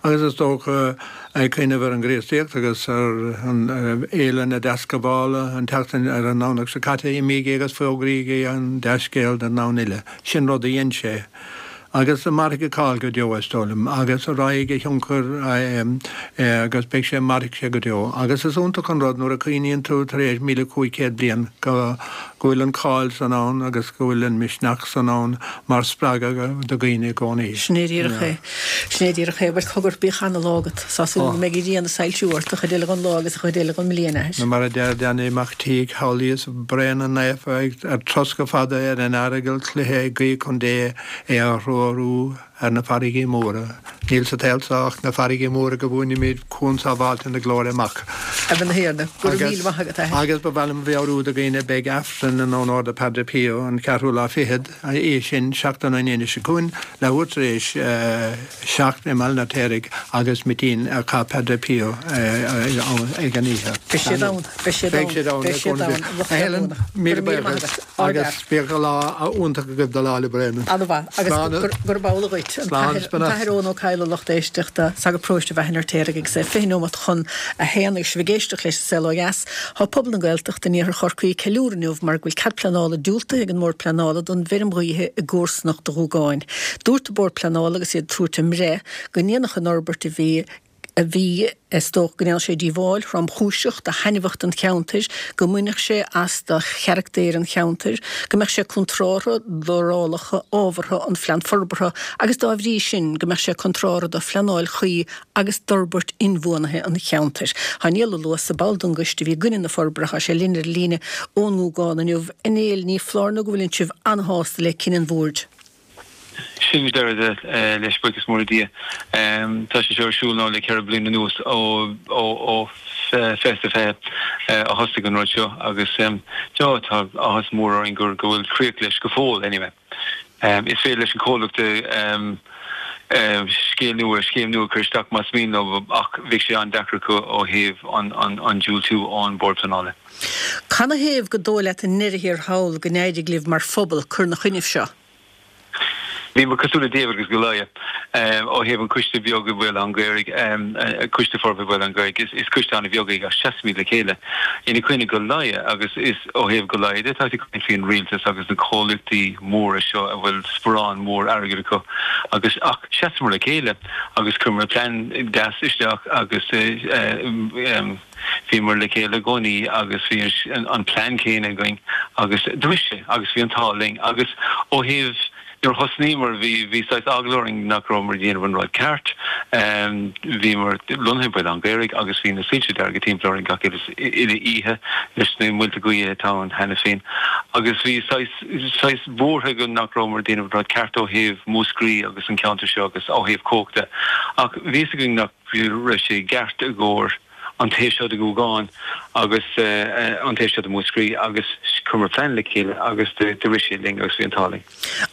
agus is dócha ag cuimhneamh ar an gCríostaíocht agus ar an Fhéile na Deascabhála an tseachtain ar an nDomhnach seo caite, imígí agus fógraígí an dea-scéal don domhan uile. Sin rud a dhein sé. Agus mairfidh a cháil go deo, is dóigh liom, agus raghaidh a thionchar agus beidh sé, mairfidh sé go deo. Agus is iontach an rud nuair a chuimhníonn tú tar éis míle cúig chéad bliain go bhfuil an cháil san ann agus go bhfuil an misneach san ann mar spreagadh do dhaoine i gcónaí. Sin é díreach é. Sin é díreach é. Bhuel, cogar, bíodh ana-lá agat. Tá súil agam go mbeidh an ghrian ag soilsiú ort an chuid eile den lá agus an chuid eile den mbliain, a athair. Mar a deir Danny Mac Tígh, shamhlaíos Bréanainn Naofa ar troscadh fada ar an aireagal cloiche ag guí chun Dé é a threorú ar na farraigí móra. Níl sa tsaol seo ach na farraigí móra go bhfuaimnímid cuan sábháilte na glóire amach. A bhean Thiarna, go raibh míle maith agat, a athair. Agus ba mhaith liom a mheabhrú do dhaoine, beidh Aifreann in onóir de Padre Pio an ceathrú lá fichead, é sin seachtain ón Aoine seo chugainn, leathuair tar éis seacht i mBaile an Fheirtéaraigh agus mitin a chaith Padre Pio ag an oíche. Beidh siad ann, beidh siad ann, Beidh siad ann, beidh siad ann, lucht A Helen, leanúna. míle Go raibh míle maith buíochas agat. Ard-fhear. agus bíodh lá iontach agaibh do Lá 'le Bréanainn. Ana-mhaith. Agus Slán. gurb amhlaidh dhuit. An Slán, tAthair, an tAthair Eoin Ó Cadhla, lucht éisteachta, sagart paróiste Bhaile an Fheirtéaraigh agus é fiche nóimeat chun a haon agus sibh ag éisteacht leis An Saol Ó Dheas. Tá pobal na Gaeltachta in iarthar Chorcaí ag ceiliúradh inniu mar go bhfuil cead pleanála diúltaithe ag an mBord Pleanála don bhfeirm ghaoithe i gcomharsanacht Dhúgáin. Dúirt an Bord Pleanála agus iad ag tabhairt a mbreith go ndéanfadh an fhorbairt a bhí a bhí, is dócha go ndéanfadh sé díobháil thromchúiseach do thaitneamhacht an cheantair, go mbainfeadh sé as do charachtar an cheantair, go mbeadh sé contrártha d'fhorálacha ábhartha an Phlean Forbartha agus dá bhrí sin go mbeadh sé contrártha do phleanáil chuí agus d'fhorbairt inbhuanaithe an cheantair. Tá Niall Ó Luasa, ball den gcoiste a bhí i gcoinne na forbartha, tá sé linn ar an líne ón nGúgán inniu. A Néill, ní foláir nó go bhfuileann sibh an-shásta le cinneadh an Bhoird. Sin deireadh leis, buíochas mór le Dia. Tá sé seo ar siúl now le ceithre bliana anuas ó ó fiche is a fiche a thosaigh an rud seo agus tá áthas mór orainn go bhfuil críoch leis go fóill anyway. Is féidir leis an chomhlacht scéal nua, scéim nua a chur isteach más mian leo ach bheadh sé an-deacair acu ó thaobh an diúltú ón Bord Pleanála. Canathaobh gur dóigh leat i ndeireadh thiar thall go n-éirigh libh mar phobal cur 'na choinnibh seo? Bhíomar cosúil le David agus Goliath ó thaobh an coiste beag i mBaile Átha an Ghaorthaidh, Coiste Forbartha Bhaile Átha an Ghaorthaidh, is coiste an-bheag é ach seasaimid le chéile ina coinne Goliath agus is ó thaobh Goliath de tá tú ag caint faoin rialtas agus na comhlachtaí móra seo a bhfuil sparán mór airgid acu agus ach sheasamar le chéile agus chuireamar plean deas isteach agus bhíomar le chéile i gcónaí agus bhí an plean céanna againn agus do rith sé agus bhí an t-ádh linn agus ó thaobh Nuair a thosnaíomar bhí bhí saghas eagla orainn nach rabhamar ag déanamh an rud ceart. Bhíomar lonnaithe i Baile Átha an Ghaorthaidh agus bhí na soilse dearga timpeall orainn gach uile oíche leis na muilte gaoithe atá ann cheana féin agus bhí saghas saghas buartha againn nach rabhamar ag déanamh an rud ceart ó thaobh Mhúscraí agus an ceantar seo agus ó thaobh cumhachta ach bhí fhios againn nach raibh sé i gceart i gcomhair an taobh seo de Ghúgán agus an taobh seo de Mhúscraí agus chuireamar plean le chéile agus do rith sé linn agus bhí an t-ádh linn.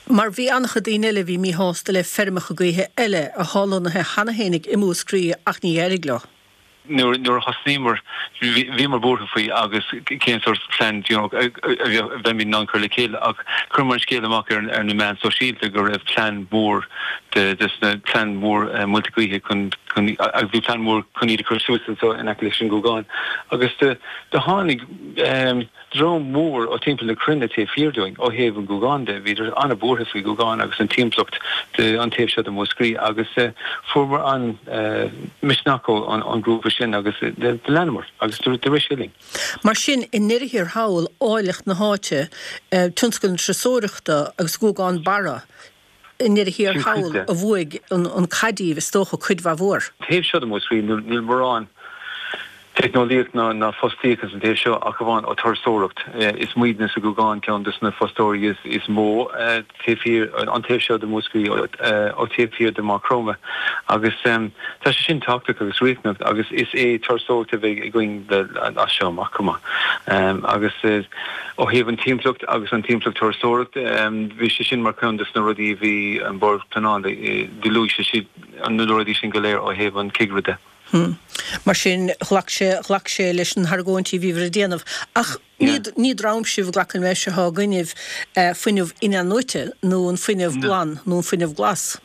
Mar bhí an-chuid daoine eile a bhí míshásta le feirmeacha gaoithe eile atá lonnaithe cheana féinig i Múscraí ach ní éirigh leo. Nuair a thosnaíomar bhíomar buartha faoi agus cén sórt plean you know a bheimid in ann cur le chéile ach chuireamar an scéal amach ar na meáin sóisialta go raibh plean mór de sna plean mór muilte gaoithe chun chun agus bhí plean mór chun iad a chur suas anseo in aice leis an nGúgán agus do do tháinig dream mór ó timpeall na cruinne taobh thiar dúinn ó thaobh an Ghúgáin de, bhíodar an-bhuartha faoi Ghúgán agus an timpeallacht de an taobh seo de Mhúscraí agus fuaireamar an-misneach ón ngrúpa sin agus do leanamar agus do rith sé linn. Mar sin, i ndeireadh thiar thall, áilleacht na háite, tionscal na turasóireachta agus Gúgán Barra, i ndeireadh thiar thall a bhuaigh an cath díbh, is dócha, cuid mhaith mhór. Taobh seo de Mhúscraí, níl mórán teicneolaíocht ná fostaíocht ins an taobh seo ach amháin ó turasóireacht. Is muidne sa Ghúgán ceann des na fostóirí is mó taobh thiar, an taobh seo de Mhúscraí ó taobh thiar de Mhaigh Chromtha agus tá sé sin tábhachtach agus riachtanach agus is é turasóireacht a bheidh againn as seo amach chomh maith agus Ó thaobh an timpeallacht agus an timpeallacht turasóireachta, bhí sé sin mar cheann de na rudaí a bhí an Bord Pleanála, do luaigh sé siad na rudaí sin go léir ó thaobh an cigire de. Mar sin, ghlac sé, ghlac sé leis na hargóintí a bhíobhair ag déanamh. Ach ní, ní dream sibh, glacaim leis, atá i gcoinnibh fuinneamh in-athnuaite nó an fuinneamh glan nó an fuinneamh glas.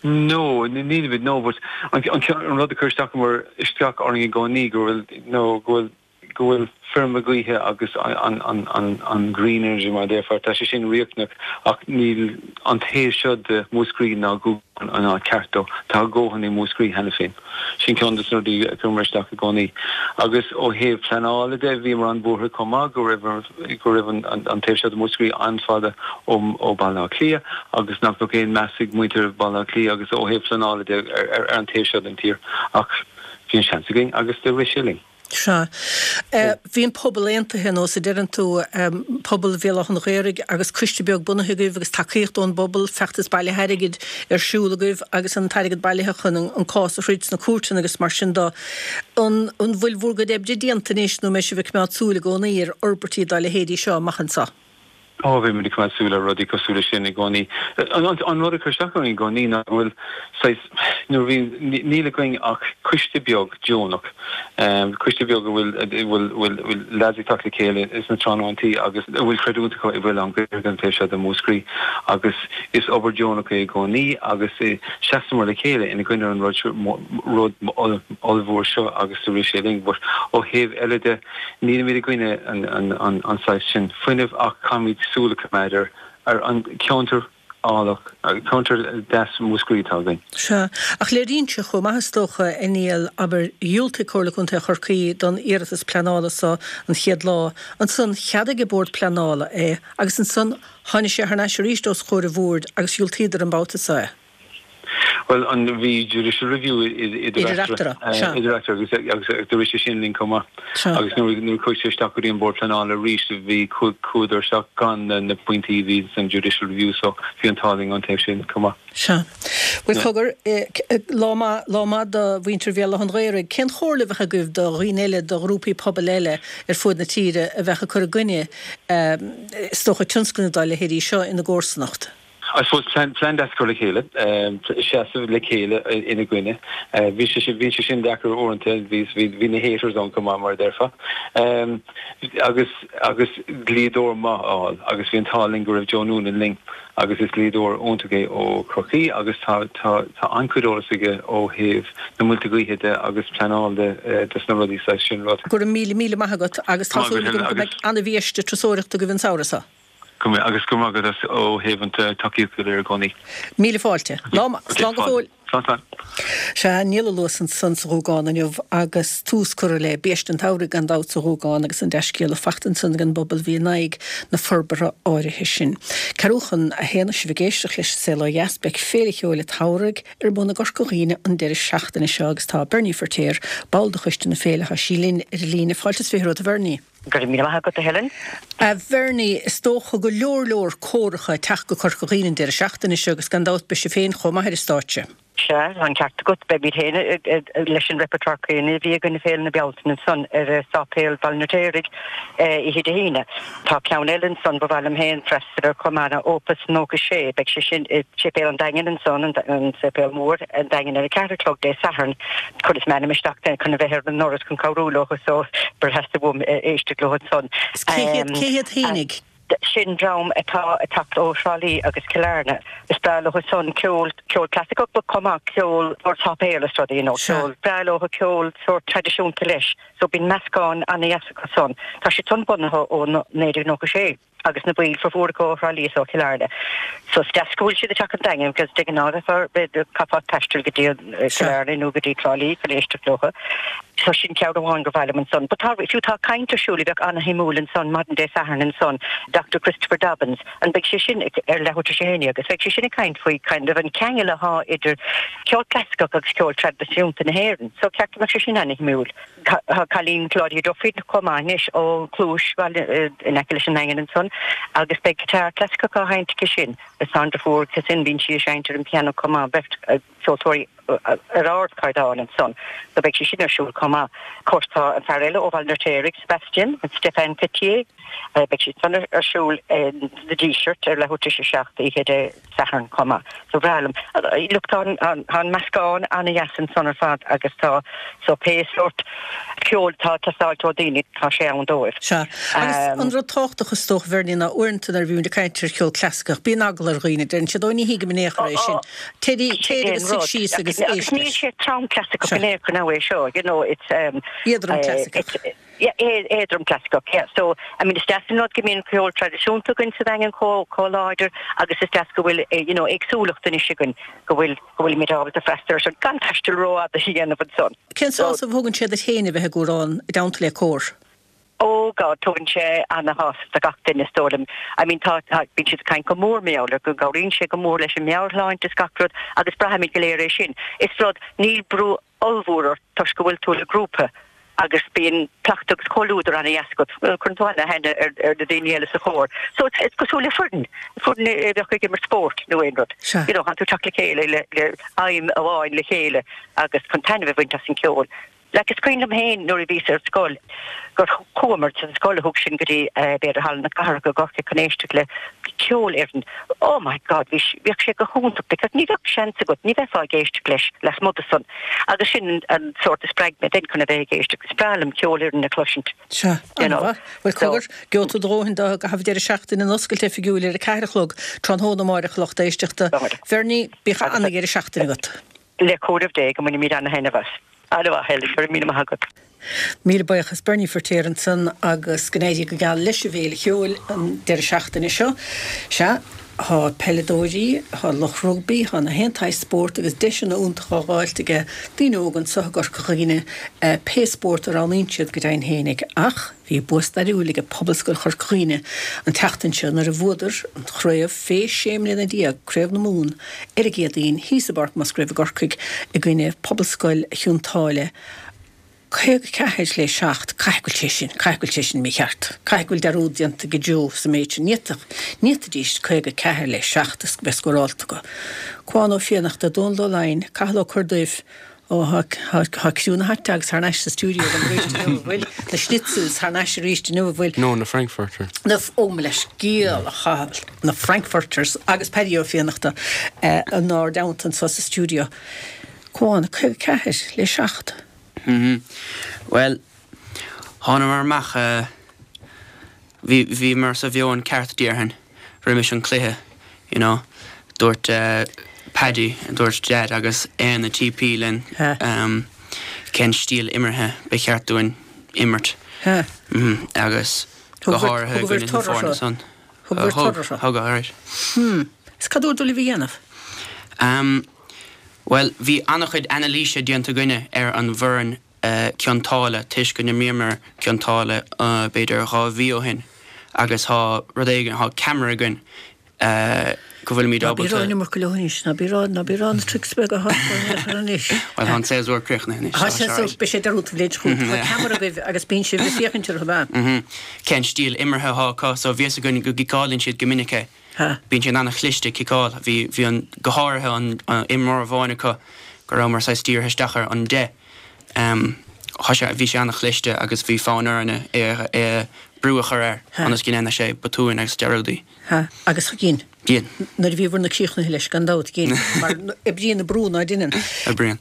No, nílimid, no, but an, an rud a chuir isteach, isteach orainn i gcónaí go bhfuil, no, go bhfuil, go bhfuil feirme gaoithe agus an green energy mar a déarfá, tá sé sin riachtanach ach níl an taobh seo de Mhúscraí ná Gúgán an áit ceart dó. Tá a dhóthain i Múscraí cheana féin. Sin ceann de na rudaí a chuireamar isteach i gcónaí. Agus ó thaobh pleanála de, bhíomar an-bhuartha chomh maith go raibh go raibh an taobh seo de Mhúscraí an-fhada ó Bhaile Átha Cliath agus nach mbeadh aon meas ag muintir Bhaile Átha Cliath agus ó thaobh pleanála de ar an taobh seo den tír. Ach bhí an seans againn agus do rith sé linn. Sea. Bhí an pobal aontaithe, ar nós a deireann tú, pobal Bhéal Átha an Ghaorthaidh agus coiste beag bunaithe agaibh agus tacaíocht ón bpobal, feachtas bailithe airgid ar siúl agaibh agus an t-airgead bailithe chun an cás a throid sna cúirteanna agus mar sin de. An bhfuil bhur gcuid oibre déanta anois nó an mbeidh sibh ag coimeád súil i gcónaí ar fhorbairtí dá leithéidí seo amach anseo? Ó, bheidh muid ag coimeád súil ar rudaí cosúil leis sin i gcónaí. An rud a chuir isteach orainn i gcónaí ná go bhfuil saghas, nuair a bhíonn, níl againn ach coiste beag deonach, coiste beag a bhfuil, a bhfuil, bhfuil leaids ag teacht le chéile sna tráthnóntaí agus a bhfuil creidiúint acu i bhFuil an Ghaeilge an taobh seo de Mhúscraí agus is obair deonach é i gcónaí agus seasamar le chéile ina gcoinne an rud seo, rud ollmhór seo agus do rith sé linn. But ó thaobh eile de, Nílimid i gcoinne an saghas sin fuinnimh ach caithfimid súil a choimeád ar an cheantar Álach, ceantar deas Mhúscraí atá againn. Sea, ach léiríonn sé chomh maith is dócha, a Niall, abair, dhiúltaigh Comhairle Contae Chorcaí don iarratas pleanála so an chéad lá, ansan cheadaigh an Bord Pleanála é agus ansan tháinig sé thar n-ais arís os comhair an Bhoird agus dhiúltaíodar an babhta so é. Bhuel, an bhí judicial review idir eatarthu, idir eatarthu agus agus do rith sé sin linn chomh maith. Agus nuair nuair a chuaigh sé isteach go dtí an Bord Pleanála arís bhí chuadar isteach gan na na pointí a bhí san judicial review so bhí an t-ádh linn an taobh sin chomh maith. Sea. Bhuel cogar, lá maith, lá maith do mhuintir Bhéal Átha an Ghaorthaidh. Cén chomhairle a bheadh agaibh do dhaoine eile, do ghrúpaí pobail eile ar fuaid na tíre a bheadh ag cur i gcoinne, is dócha, tionscnaimh dá leithéidí seo ina gcomharsanacht? I suppose plean plean deas a chur le chéile, seasamh le chéile ina gcoinne. Bhí sé sin bhí sé sin deacair uaireanta, bhí bhí na haters ann chomh maith mar a déarfá. Agus agus dlíodóir maith a fháil agus bhí an t-ádh linn go raibh Joe Noonan linn agus is dlíodóir iontach é ó Chorcaí agus tá tá tá an-chuid eolas aige ó thaobh na muilte gaoithe de agus pleanáil de dos na rudaí saghas sin rud. Go raibh míle míle maith agat agus tá súil agam go mbeidh an-bhiaiste turasóireachta agaibh an samhradh seo. Go mbeidh, agus go raibh maith agat as ó thaobh an tacaíocht go léir i gcónaí. Míle fáilte. Lá maith. Slán go fóill. Slán, slán. Sea, Niall Ó Luasa ansan sa Ghuagán inniu agus tús curtha le biaiste an tsamhraidh gan dabht sa Ghuagán agus an dea-scéala fachta ansan ag an bpobal a bhí in aghaidh na forbartha áirithe sin. Ceathrú chun a haon is sibh ag éisteacht leis an Saol Ó Dheas, beidh Féile Cheoil an tSamhraidh ar bun i gCorca Dhuibhne an deireadh seachtaine seo agus tá Bernie Firtéar, ball de choiste na féile, tá sí linn ar an líne. Fáilte is fiche romhat a Bhernie. Go raibh míle maith agat, a Helen. A Bhernie, is dócha go leor leor córacha ag teacht go Corca Dhuibhne an deireadh seachtaine seo agus gan dabht beidh sibh féin chomh maith ar an stáitse. Sea, tá an ceart agat. Beimid féin leis an repertoire céanna a bhí againn i Féile na Bealtaine ansan ar Sáipéal Bhaile an Fheirtéaraigh oíche Dé hAoine. Tá ceann eile ansan ba mhaith liom féin freastal air chomh maith ná Opus nócha sé. Beidh sé sin i Séipéal an Daingin ansan, an Séipéal Mór, an Daingean ar a ceathair a chlog Dé Sathairn. Chuireas m'ainm isteach chun a bheith ar an ndoras chun cabhrú leo so b'fhearr theastaigh uaim éisteacht leo ansan. Is cé hiad, cé hiad fhéinig? Sin dream atá ag teacht ó Thrá Lí agus Cill Airne. Is breá leo san ceol, ceol clasaiceach but chomh maith ceol sórt sáipéil is rudaí, you know, ceol, breá leo ceol sórt traidisiúnta leis. So bíonn meascán ana-dheas acu san. Tá siad san bunaithe ó naoi déag nócha sé. agus na baill formhór acu ó Thrá Lí is ó Chill Airne. So is deas go bhfuil siad ag teacht an Daingean because de ghnáth bheifeá, chaithfeá taisteal go dtí Cill Airne nó go dtí Trá Lí chun éisteacht leo. So sin ceann amháin gur mhaith liom ansan. But tá, fiú tá caint ar siúl a bheadh ana-shuimiúil ansan maidin Dé Sathairn ansan, Doctor Christopher Dobbins, an beidh sé sin ar leathuair tar éis a haon déag agus beidh sé sin ag caint faoi kind of an ceangal athá idir ceol clasaiceach agus ceol traidisiúnta na hÉireann. So ceart go mbeadh sé sin ana-shuimiúil. Tá cailín Claudia Duffy chomh maith anois ó Chluais Bhaile in aice leis an nDaingean ansan agus beidh guitar clasaiceach á sheinnt aici sin. Is tá an deirfiúr aici sin, bíonn sí ag seinnt ar an piano chomh maith, beirt ceoltóirí ar ardchaighdeán ansan so beidh sé sin ar siúl chomh maith. Of course tá an fear eile ó Bhaile an Fheirtéaraigh, Sebastian, Stefan Petier, beidh sé san ar siúl sa Díseart ar leathuair tar éis a seacht oíche Dé Sathairn chomh maith. So bhreá liom. Look, tá an meascán an-dheas ansan ar fad agus tá, so pé sórt ceoil atá ag teastáilt ó daoine, tá sé ann dóibh. Sea. Agus an rud tábhachtach is dócha, Bhernie, ná uaireanta nuair a bhímid ag caint ar cheol clasaiceach, bíonn eagla ar dhaoine, deireann siad, ó ní thuigim in aon chor é sin. Téir, téir agus suigh síos agus éist leis. Agus níl sé trom clasaiceach in aon chor now é seo, you know, it's. Éadrom clasaiceach. Yeah, éadrom clasaiceach, yeah. So, I mean, is deas an rud go mbíonn ceol traidisiúnta againn sa Daingean chomh, chomh láidir agus is deas go bhfuil, you know, éagsúlacht anois againn, go bhfuil, go bhfuilimid ábalta freastal air sin gan taisteal rófhada a dhéanamh ansan. Cén sásamh a thugann sé duit féin a bheith ag amhrán i dteannta le cór? Oh God, tugann sé ana-shásamh do gach duine is dóigh liom. I mean, tá, tá, bíonn siad ag caint go mór mar gheall air, go gcabhraíonn sé go mór leis an meabhairshláinte is gach rud agus braithimid go léir é sin. Is rud, níl brú ollmhór ort toisc go bhfuil tú le grúpa agus bíonn cleachtadh agus comhluadar ana-dheas agat. Bhuel, cuireann tú ana-aithne ar ar na daoine eile sa chór. So it's it's cosúil le foireann, foireann a bheadh ag imirt spóirt nó aon rud. Sea. You know, tánn tú ag teacht le chéile le le aidhm amháin le chéile agus chun taitneamh a bhaint as an ceol. Like is cuimhin liom féin nuair a bhíos ar scoil gur chuamar sa scoil a thug sinn go dtí b'fhéidir Halla na Cathrach i gCorcaigh chun éisteacht le ceolfhoireann. Oh my God bhí bhíodh sé go hiontach because ní bheadh seans agat, ní bheifeá ag éisteacht leis lasmuigh de san. Agus sin an sórt a spreag mé then chun a bheith ag éisteacht. Is breá liom ceolfhoireann a chloisint. Sea, You know. an-mhaith. Bhuel cogar, gheobhaidh tú do dhóthain de i gcaitheamh an deireadh seachtaine an oscailt oifigiúil ar a ceathair a chlog tráthnóna amáireach a lucht éisteachta. Bhernie, bíodh an-dheireadh seachtaine agat. Le cúnamh Dé go mbainfimid ana-thaitneamh as. An-mhaith, Helen, go raibh míle maith agat. Míle buíochas Bernie Firtéar ansan agus go n-éirí go geal leis an bhFéile Cheoil an deireadh seachtaine seo. Sea, Tá peileadóirí, tá lucht rugbaí, tá na haon tsaghas spórt agus deiseanna iontacha á dh'fháilt aige daoine óga anso i gCorca Dhuibhne, pé spórt a roghnaíonn siad go deimhin fhéinig. Ach bhí bua stairiúil aige Pobalscoil Chorca Dhuibhne an tseachtain seo nuair a bhuadar an chraobh fé sé mbliana déag, Craobh na Mumhan, ar an gCéadaoin thíos i bPáirc Musgrave i gCorcaigh i gcoinne Pobalscoil Chionn tSáile. caoga ceathair le seacht, caithfidh go bhfuil sé sin, caithfidh go bhfuil sé sin mícheart, caithfidh go bhfuil dearúd déanta ag Joe sa méid sin, ní fhéadfadh, ní fhéadfaidís caoga ceathair le seacht a bheith scórálta acu. Cuán Ó Fiannachta, Dónal Ó Laighin, Cathal Ó Corrduibh, ó thá, thá, thá criú na hot dogs thar n-ais sa stiúideo agam arís inniu, an bhfuil? Na schnitzels thar n-ais arís inniu, an bhfuil? No, na frankfurters. Na, ó mo leithscéal, a Chathail, na frankfurters agus Paddy Ó Fiannachta inár dteannta anso sa stiúideo. Cuán, caoga ceathair le seacht. Bhuel, thánamar amach, bhí, bhíomar sa mheon ceart déarfainn roimis an cluiche, you know. Dúirt Paddy, dúirt Dad agus Éanna TP linn cén stíl imeartha ba cheart dúinn imirt agus go háirithe i gcoinne na foirne san. Thug, thug, alright. Is cad dúradar libh a dhéanamh? Bhuel, bhí an-chuid anailíse déanta againne ar an bhfoireann Cionn tSáile toisc go n-imríomar Cionn tSáile b'fhéidir dhá mhí ó shin agus tá rud éigin, tá ceamara againn go bhfuilimid Ná bí ábalta. ag rá an iomarca leo anois, ná bí ag rá, ná bí ag rá na tricks beaga atá acu anois. Bhuel, tá an séasúr críochnaithe anois, Tá tá sé séasúr, alright. beidh sé dearúdta an bhliain seo chugainn. Tá ceamara agaibh agus bíonn sibh ag féachaint orthu, ab ea? Cén stíl imeartha atá acu, so bhí fhios againn go gciceálann siad go minic é. Bíonn siad an-chliste ag ciceáil. Bhí, bhí an, go háirithe an, an imreoir amháin acu go rabhamar saghas dírithe isteach air, an deich. Tá sé, bhí sé an-chliste agus bhí fonn orainne é, é brú a chur air ionas go ndéanfadh sé botúin agus dearúdaí. Ha, agus dhein. Dhein. Nuair a bhíobhair na críochnaithe leis, gan dabht, dhein. Mar oibríonn an brú ná deineann. Oibríonn.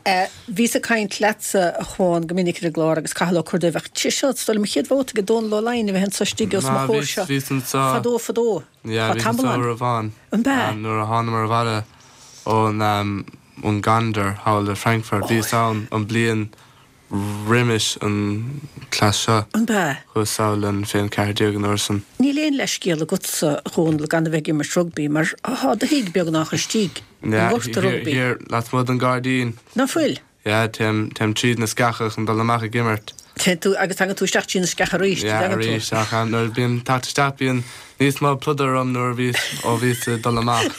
Bhíos ag caint leatsa, a Chuáin, go minic ar an gclár agus Cathal Ó Corrduibh, ach sé seo, is dóigh liom, an chéad bhabhta ag Dónal Ó Laighin a bheith anso istigh os mo Ná, chomhair bhíos, seo. bhíos anso. Fadó, fadó. Yeah, Tá bhíos tamall anso ann. uair amháin. An b'ea? Nuair a thánamar abhaile ón, ón Gondar thall i Frankfurt. Bhíos ann an bliain roimis an cleas seo. An b'ea? Chuas sall an fiche ceathair déag an uair san. Níl aon leithscéal agatsa, a Dhónaill, gan a bheith ag imirt rugbaí, mar thá do thigh beagnach istigh i ngort Yeah, rugbaí. thiar lasmuigh den gairdín. Ná fuil? Yeah, téim, téim tríd na sceacha chun dul amach ag imirt. Téann tú, agus tagann tú isteach trí na sceacha arís, Yeah, dtagann tú? arís, ach nuair a bím teacht isteach bíonn níos mó pludar orm nuair a bhíos, ó bhíos ag dul amach.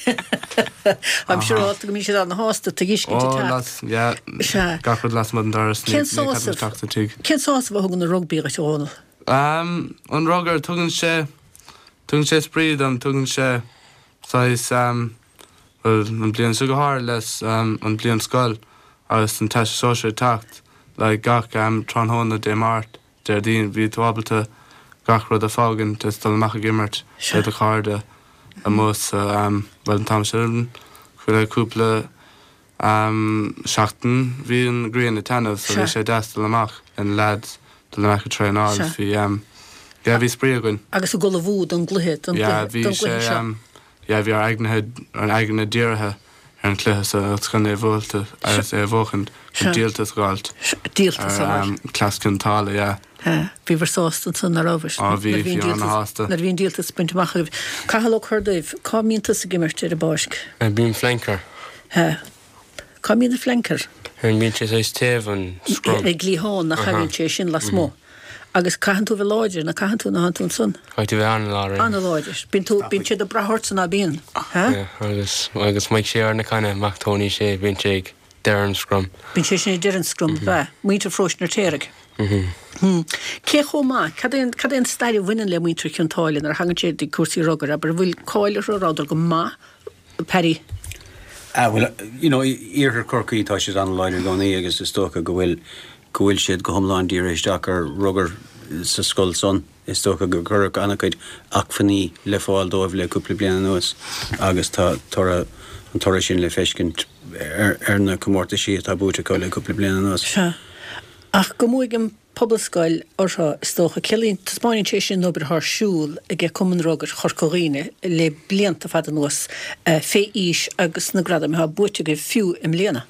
Táim siúrálta go mbíonn siad ana-shásta tú a fheiscint Ó, ag teacht. las, yeah, Sea. gach rud lasmuigh den doras, ní, Cén ní caithfidh sásamh, isteach sa tigh. cén sásamh a thugann an rugbaí dhuit, a Dhónaill? Um, an rugar, tugann sé, tugann sé spraoi dom, tugann sé saghas, um, bhuel, an bliain seo go háirithe leis um, an bliain scoil agus an Teastas Sóisear ag teacht, like gach um, tráthnóna Dé Máirt, Déardaoin, bhí tú ábalta gach rud a fhágaint is dul amach ag imirt le do chairde amuigh sa um, bhuel an t-am sin le cúpla um, seachtain bhí an ghrian ag taitneamh so bhí sé deas dul amach le na lads dul amach ag traenáil bhí um, yeah, bhí spraoi againn. Agus ag ullmhú don gcluiche don Yeah, gcluiche bhí don sé gcluiche seo. um, yeah, bhí ár aigne ár aigne dírithe ar an cluiche so agus chun é a bhualadh agus é a bhuachaint chun díoltas a fháilt. Díoltas a ar um, cleas Cionn tSáile, yeah. Bhíobhair sásta ansan nach rabhais? Á, bhí, bhí ana-shásta. Nuair a bhí an díoltas bainte amach agaibh. Cathal Ó Corrduibh, cá mbíonn tusa ag imirt ar an bpáirc? Bím flanker. Cá mbíonn an flanker? Bíonn sé saghas taobh an scrum. Ag liathán nach thagann sé sin lasmuigh. Agus caitheann tú bheith láidir, nach caitheann tú ná tú ansan? Caithfidh tú bheith an-láidir. An-láidir. Bíonn tú, bíonn siad ag brath ortsa ná bíonn? Yeah, agus agus mbeidh sé ar na canna Mac Tony sé bíonn sé ag deireadh an scrum. Bíonn sé sin ag deireadh an scrum, bea. Muintir Pharóiste an Fheirtéaraigh. Hmm. Cé chomh maith, cad é cad é an stair a bhaineann le muintir Chionn tSáile nuair a thagann sé ag cúrsaí rugair, abair, an bhfuil cáil orthu, rabhadar go maith, Paddy? Ah, well, you know, iarthar Chorcaí tá siad an-láidir i gcónaí agus is dócha go bhfuil go bhfuil siad go hiomlán dírithe isteach ar rugar sa scoil san. Is dócha gur cuireadh an-chuid acmhainní le fáil dóibh le cúpla bliain anuas agus tá toradh an toradh sin le feiscint ar, ar na comórtaisí atá buaite acu le cúpla bliain anuas. Sea. Ach go mbuafaidh an Pobalscoil orthu, is dócha, ciallaíonn, taispeánann sé sin an obair atá ar siúl ag Cumann Rugair Chorca Dhuibhne le blianta fada anuas fé aois agus na gradaim atá buaite agaibh fiú i mbliana.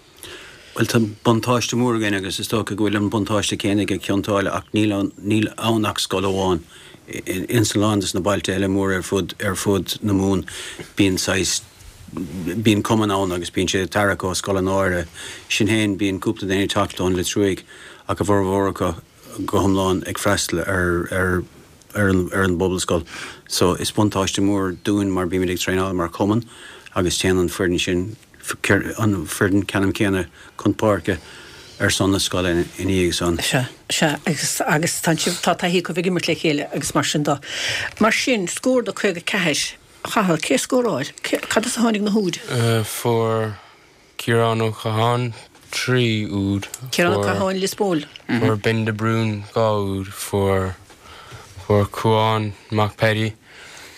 Bhuel, tá buntáiste mór againn agus is dócha go bhfuil an buntáiste céanna ag Cionn tSáile ach níl ann, níl ann ach scoil amháin Ins a lán des na bailte eile mór ar fud ar fud na Mumhan bíonn saghas bíonn cumann ann agus bíonn sé tarrac ó scoileanna áirithe. Sin féin bíonn cúpla duine ag teacht ón Lios Ruaidh ach a bhformhór acu go hiomlán ag freastal ar ar ar an ar an bpobalscoil. So is buntáiste mór dúinn mar bímid ag traenáil mar chumann agus téann an foireann sin an foireann ceannann céanna chun páirce ar son na scoile ina dhiaidh san. Sea, sea, agus agus tá sibh tá taithí acu ag imirt le chéile agus mar sin de. Mar sin, scór de caoga ceathair. Cathal, cé a scóráil? Cad as a tháinig na húid? Fuair Ciarán Ó Catháin trí úd. Ciarán Ó Catháin, Lios Póil. Fuair Ben de Brún dhá úd, fuair fuair Cuán Mac Paddy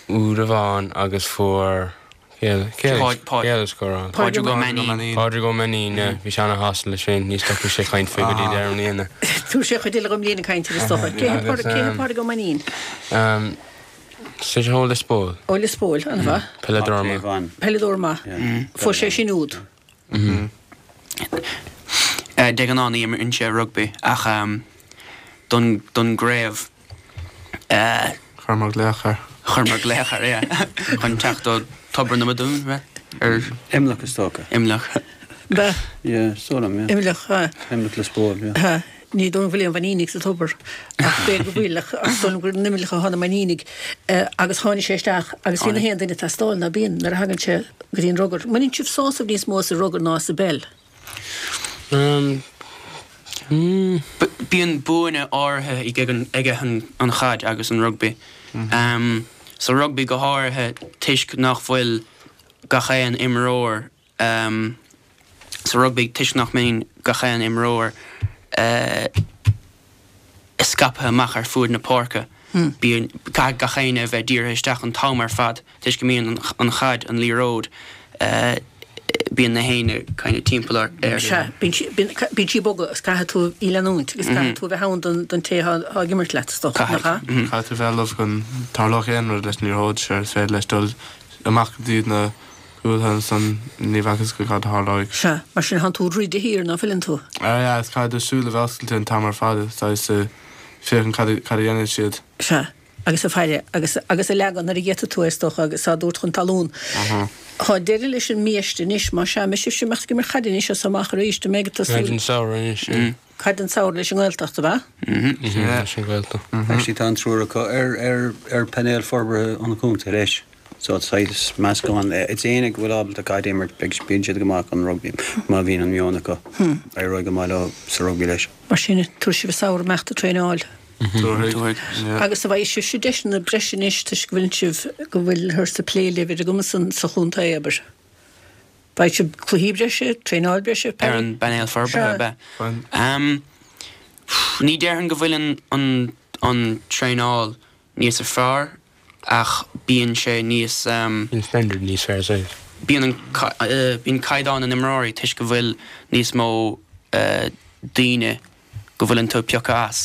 úd amháin agus fuair cé eile a scóráil? Pádraig Ó Mainnín. Pádraig Ó Mainnín, yeah. Bhí sé ana-shásta leis sin, ní stopfaidh sé caint faoi go dtí deireadh na bliana. Tabharfaidh sé chuid eile dhom bliain ag caint ar is dócha. Cé hé Pádraig Ó Mainnín? Sé ó Lios Póil. Ó Lios Póil, an-mhaith. Peileadóir maith. Peileadóir maith. Fuair sé sin úd. De ghnáth ní imríonn sé rugbaí ach don don gcraobh. Chuireamar glaoch air. Chuireamar glaoch air, yeah. Chun teacht ó Tobar na Madún, ar. Imleach is dócha. Imleach. Ba. Yeah, is dóigh liom, yeah. Imleach, ha. Imleach Lios Póil, yeah. Ha. Ní dóigh liom go bhfuil aon Mhainínigh sa tobar ach b'fhéidir go bhfuil ach is dóigh liom gur in Imleach atá na Mainínigh agus tháinig sé isteach agus bhí na haon duine ag teastáil ná bíonn nuair a thagann sé go dtí an rugar. Mbaineann sibh sásamh níos mó as an rugar ná as an bpeil? Bíonn buanna áirithe ag an chaid agus an rugbaí. Sa rugbaí go háirithe toisc nach bhfuil gach aon imreoir sa rugbaí toisc nach mbíonn gach aon imreoir scaipthe amach ar fuaid na páirce. Bíonn, caithfidh gach éinne a bheith dírithe isteach an t-am ar fad toisc go mbíonn an chaid, an liathróid, bíonn na héinne kind of timpeall air. Sea, bíonn sí, bíonn sí ag bogadh agus caithfidh tú í leanúint agus caithfidh tú a bheith ann don, don té atá ag imirt leat, is dócha, nach ea? Caithfidh tú bheith ullamh go dtarlódh aon rud leis an liathróid, sure, is féidir leis dul amach go dtí na cúil ansan ní bheadh fhios agat cad a tharlóidh. Sea, mar sin tánn tú ag rith de shíor, ná fuileann tú? Ah yeah, is caithfidh do shúil a bheith oscailte an t-am ar fad, saghas féachaint cad cad a dhéanann siad. Sea, agus ag faire, agus agus ag leagan nuair a gheobhaidh tú é is dócha agus á dtabhairt chun talún. Tá deireadh leis an mbiaiste anois, más ea, an mbeidh sibhse ag imeacht ag imirt caide anois as amach arís, an mbeidh ag tosú? Caid an samhradh anois, yeah. Caid an samhradh leis an nGaeltacht, ab ea? Leis an Ghaeltacht. Actually tá an triúr acu ar ar ar painéal forbartha an chontae leis. So saghas meascán. Is éinne go bhfuil ábalta caid a imirt, beidh, bíonn siad go maith chun rugbaí má bhíonn an meon acu. Éireoidh go maith leo sa rugbaí leis. Mar sin, tabharfaidh sibh an samhradh amach ag traenáil. Tabharfaidh, yeah. Agus an bhfaighidh sibhse deiseanna breise anois toisc go bhfuil sibh, go bhfuilthear ag plé libh ar an gcuma san sa chontae, abair. Beidh sibh cluichí breise, traenáil breise, Ar an bpainéal forbartha, ab ea? Ní déarfainn go bhfuil an, an, an traenáil níos fearr ach bíonn sé níos. Bíonn standard níos fearr saghas. Bíonn an, bíonn caighdeán na n-imreoirí toisc go bhfuil níos mó daoine go bhfuileann tú ag piocadh as.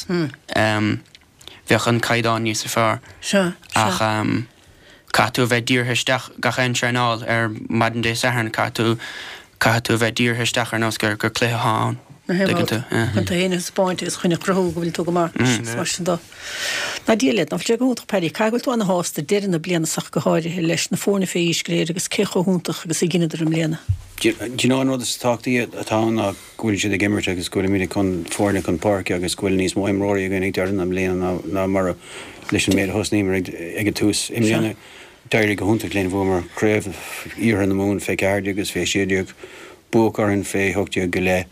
Bheadh an caighdeán níos fearr. Sea, sea. Ach caithfidh tú a bheith dírithe isteach gach aon traenáil ar maidin Dé Sathairn, caithfidh tú, caithfidh tú a bheith dírithe isteach ar nós gur, gur cluiche atá ann. Tuigeann tú, yeah. Chun tú féin a thaispeáint agus chun a chruthú go bhfuil tú go maith is mar sin de. Ná Dia leat, ná fuil sé go hiontach Paddy, caithfidh go bhfuil tú ana-shásta deireadh na bliana seo go háirithe leis na foirne fé aois go léir agus cé chomh hiontach agus a dheineadar i mbliana. Do you know an rud is tábhachtaí atá ann ná go bhfuil siad ag imirt agus go bhfuilimid ag cur foirne chun páirce agus go bhfuil níos mó imreoirí againn ag deireadh na bliana ná ná mar a leis an méid a thosnaíomar ag ag an tús. I mbliana d'éirigh go hiontach linn, bhuamar craobh Iarthar na Mumhan fé ceathair déag agus fé sé déag, buadh orainn fé hocht déag go leith.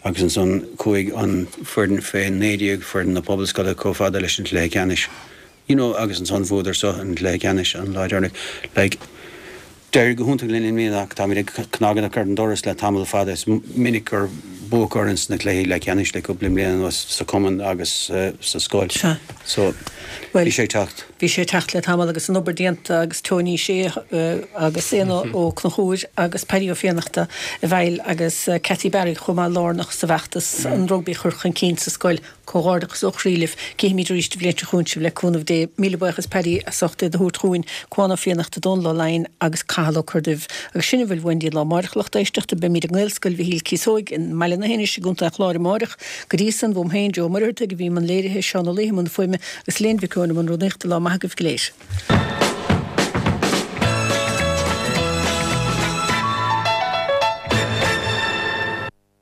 Agus ansan chuaigh an foireann fé naoi déag, foireann na Pobalscoile, chomh fada leis an chluiche ceannais. You know, agus ansan bhuadar so an cluiche ceannais an lá deireanach. Like, d'éirigh go hiontach linn i mbliana ach táimid ag cnagadach ar an doras le tamall fada. Is minic gur buadh orainn sna cluichí leathcheannais le cúpla bliain anuas sa chumann agus sa scoil. Sea. So, Bhuel, bhí sé ag teacht. Bhí sé ag teacht le tamall agus an obair déanta agus Tony Shea agus Éanna Ó Conchúir agus Paddy Ó Fiannachta i bhfeighil agus Cathy Barry chomh maith lárnach sa bhfeachtas an rugbaí a chur chun cinn sa scoil. Comhghairdeachas ó chroí libh. Cífimid arís an bhliain seo chugainn sibh le cúnamh Dé. Míle buíochas Paddy as ucht iad a thabhairt chugainn, Cuán Ó Fiannachta, Dónal Ó Laighin agus Cathal Ó Corrduibh. Agus sin a bhfuil uainn go dtí an lá amárach a lucht éisteachta. Beimid i nGaelscoil Mhichíl Cíosóig i mBaile na hInis i gContae an Chláir amáireach. Go dtí san, uaim féin, Joe Ó Muircheartaigh, a bhí i mbun léirithe, Seán Ó Laoi i mbun fuaime agus Léan Mhic Eoin i mbun rúnaíochta. Lá maith agaibh go léir.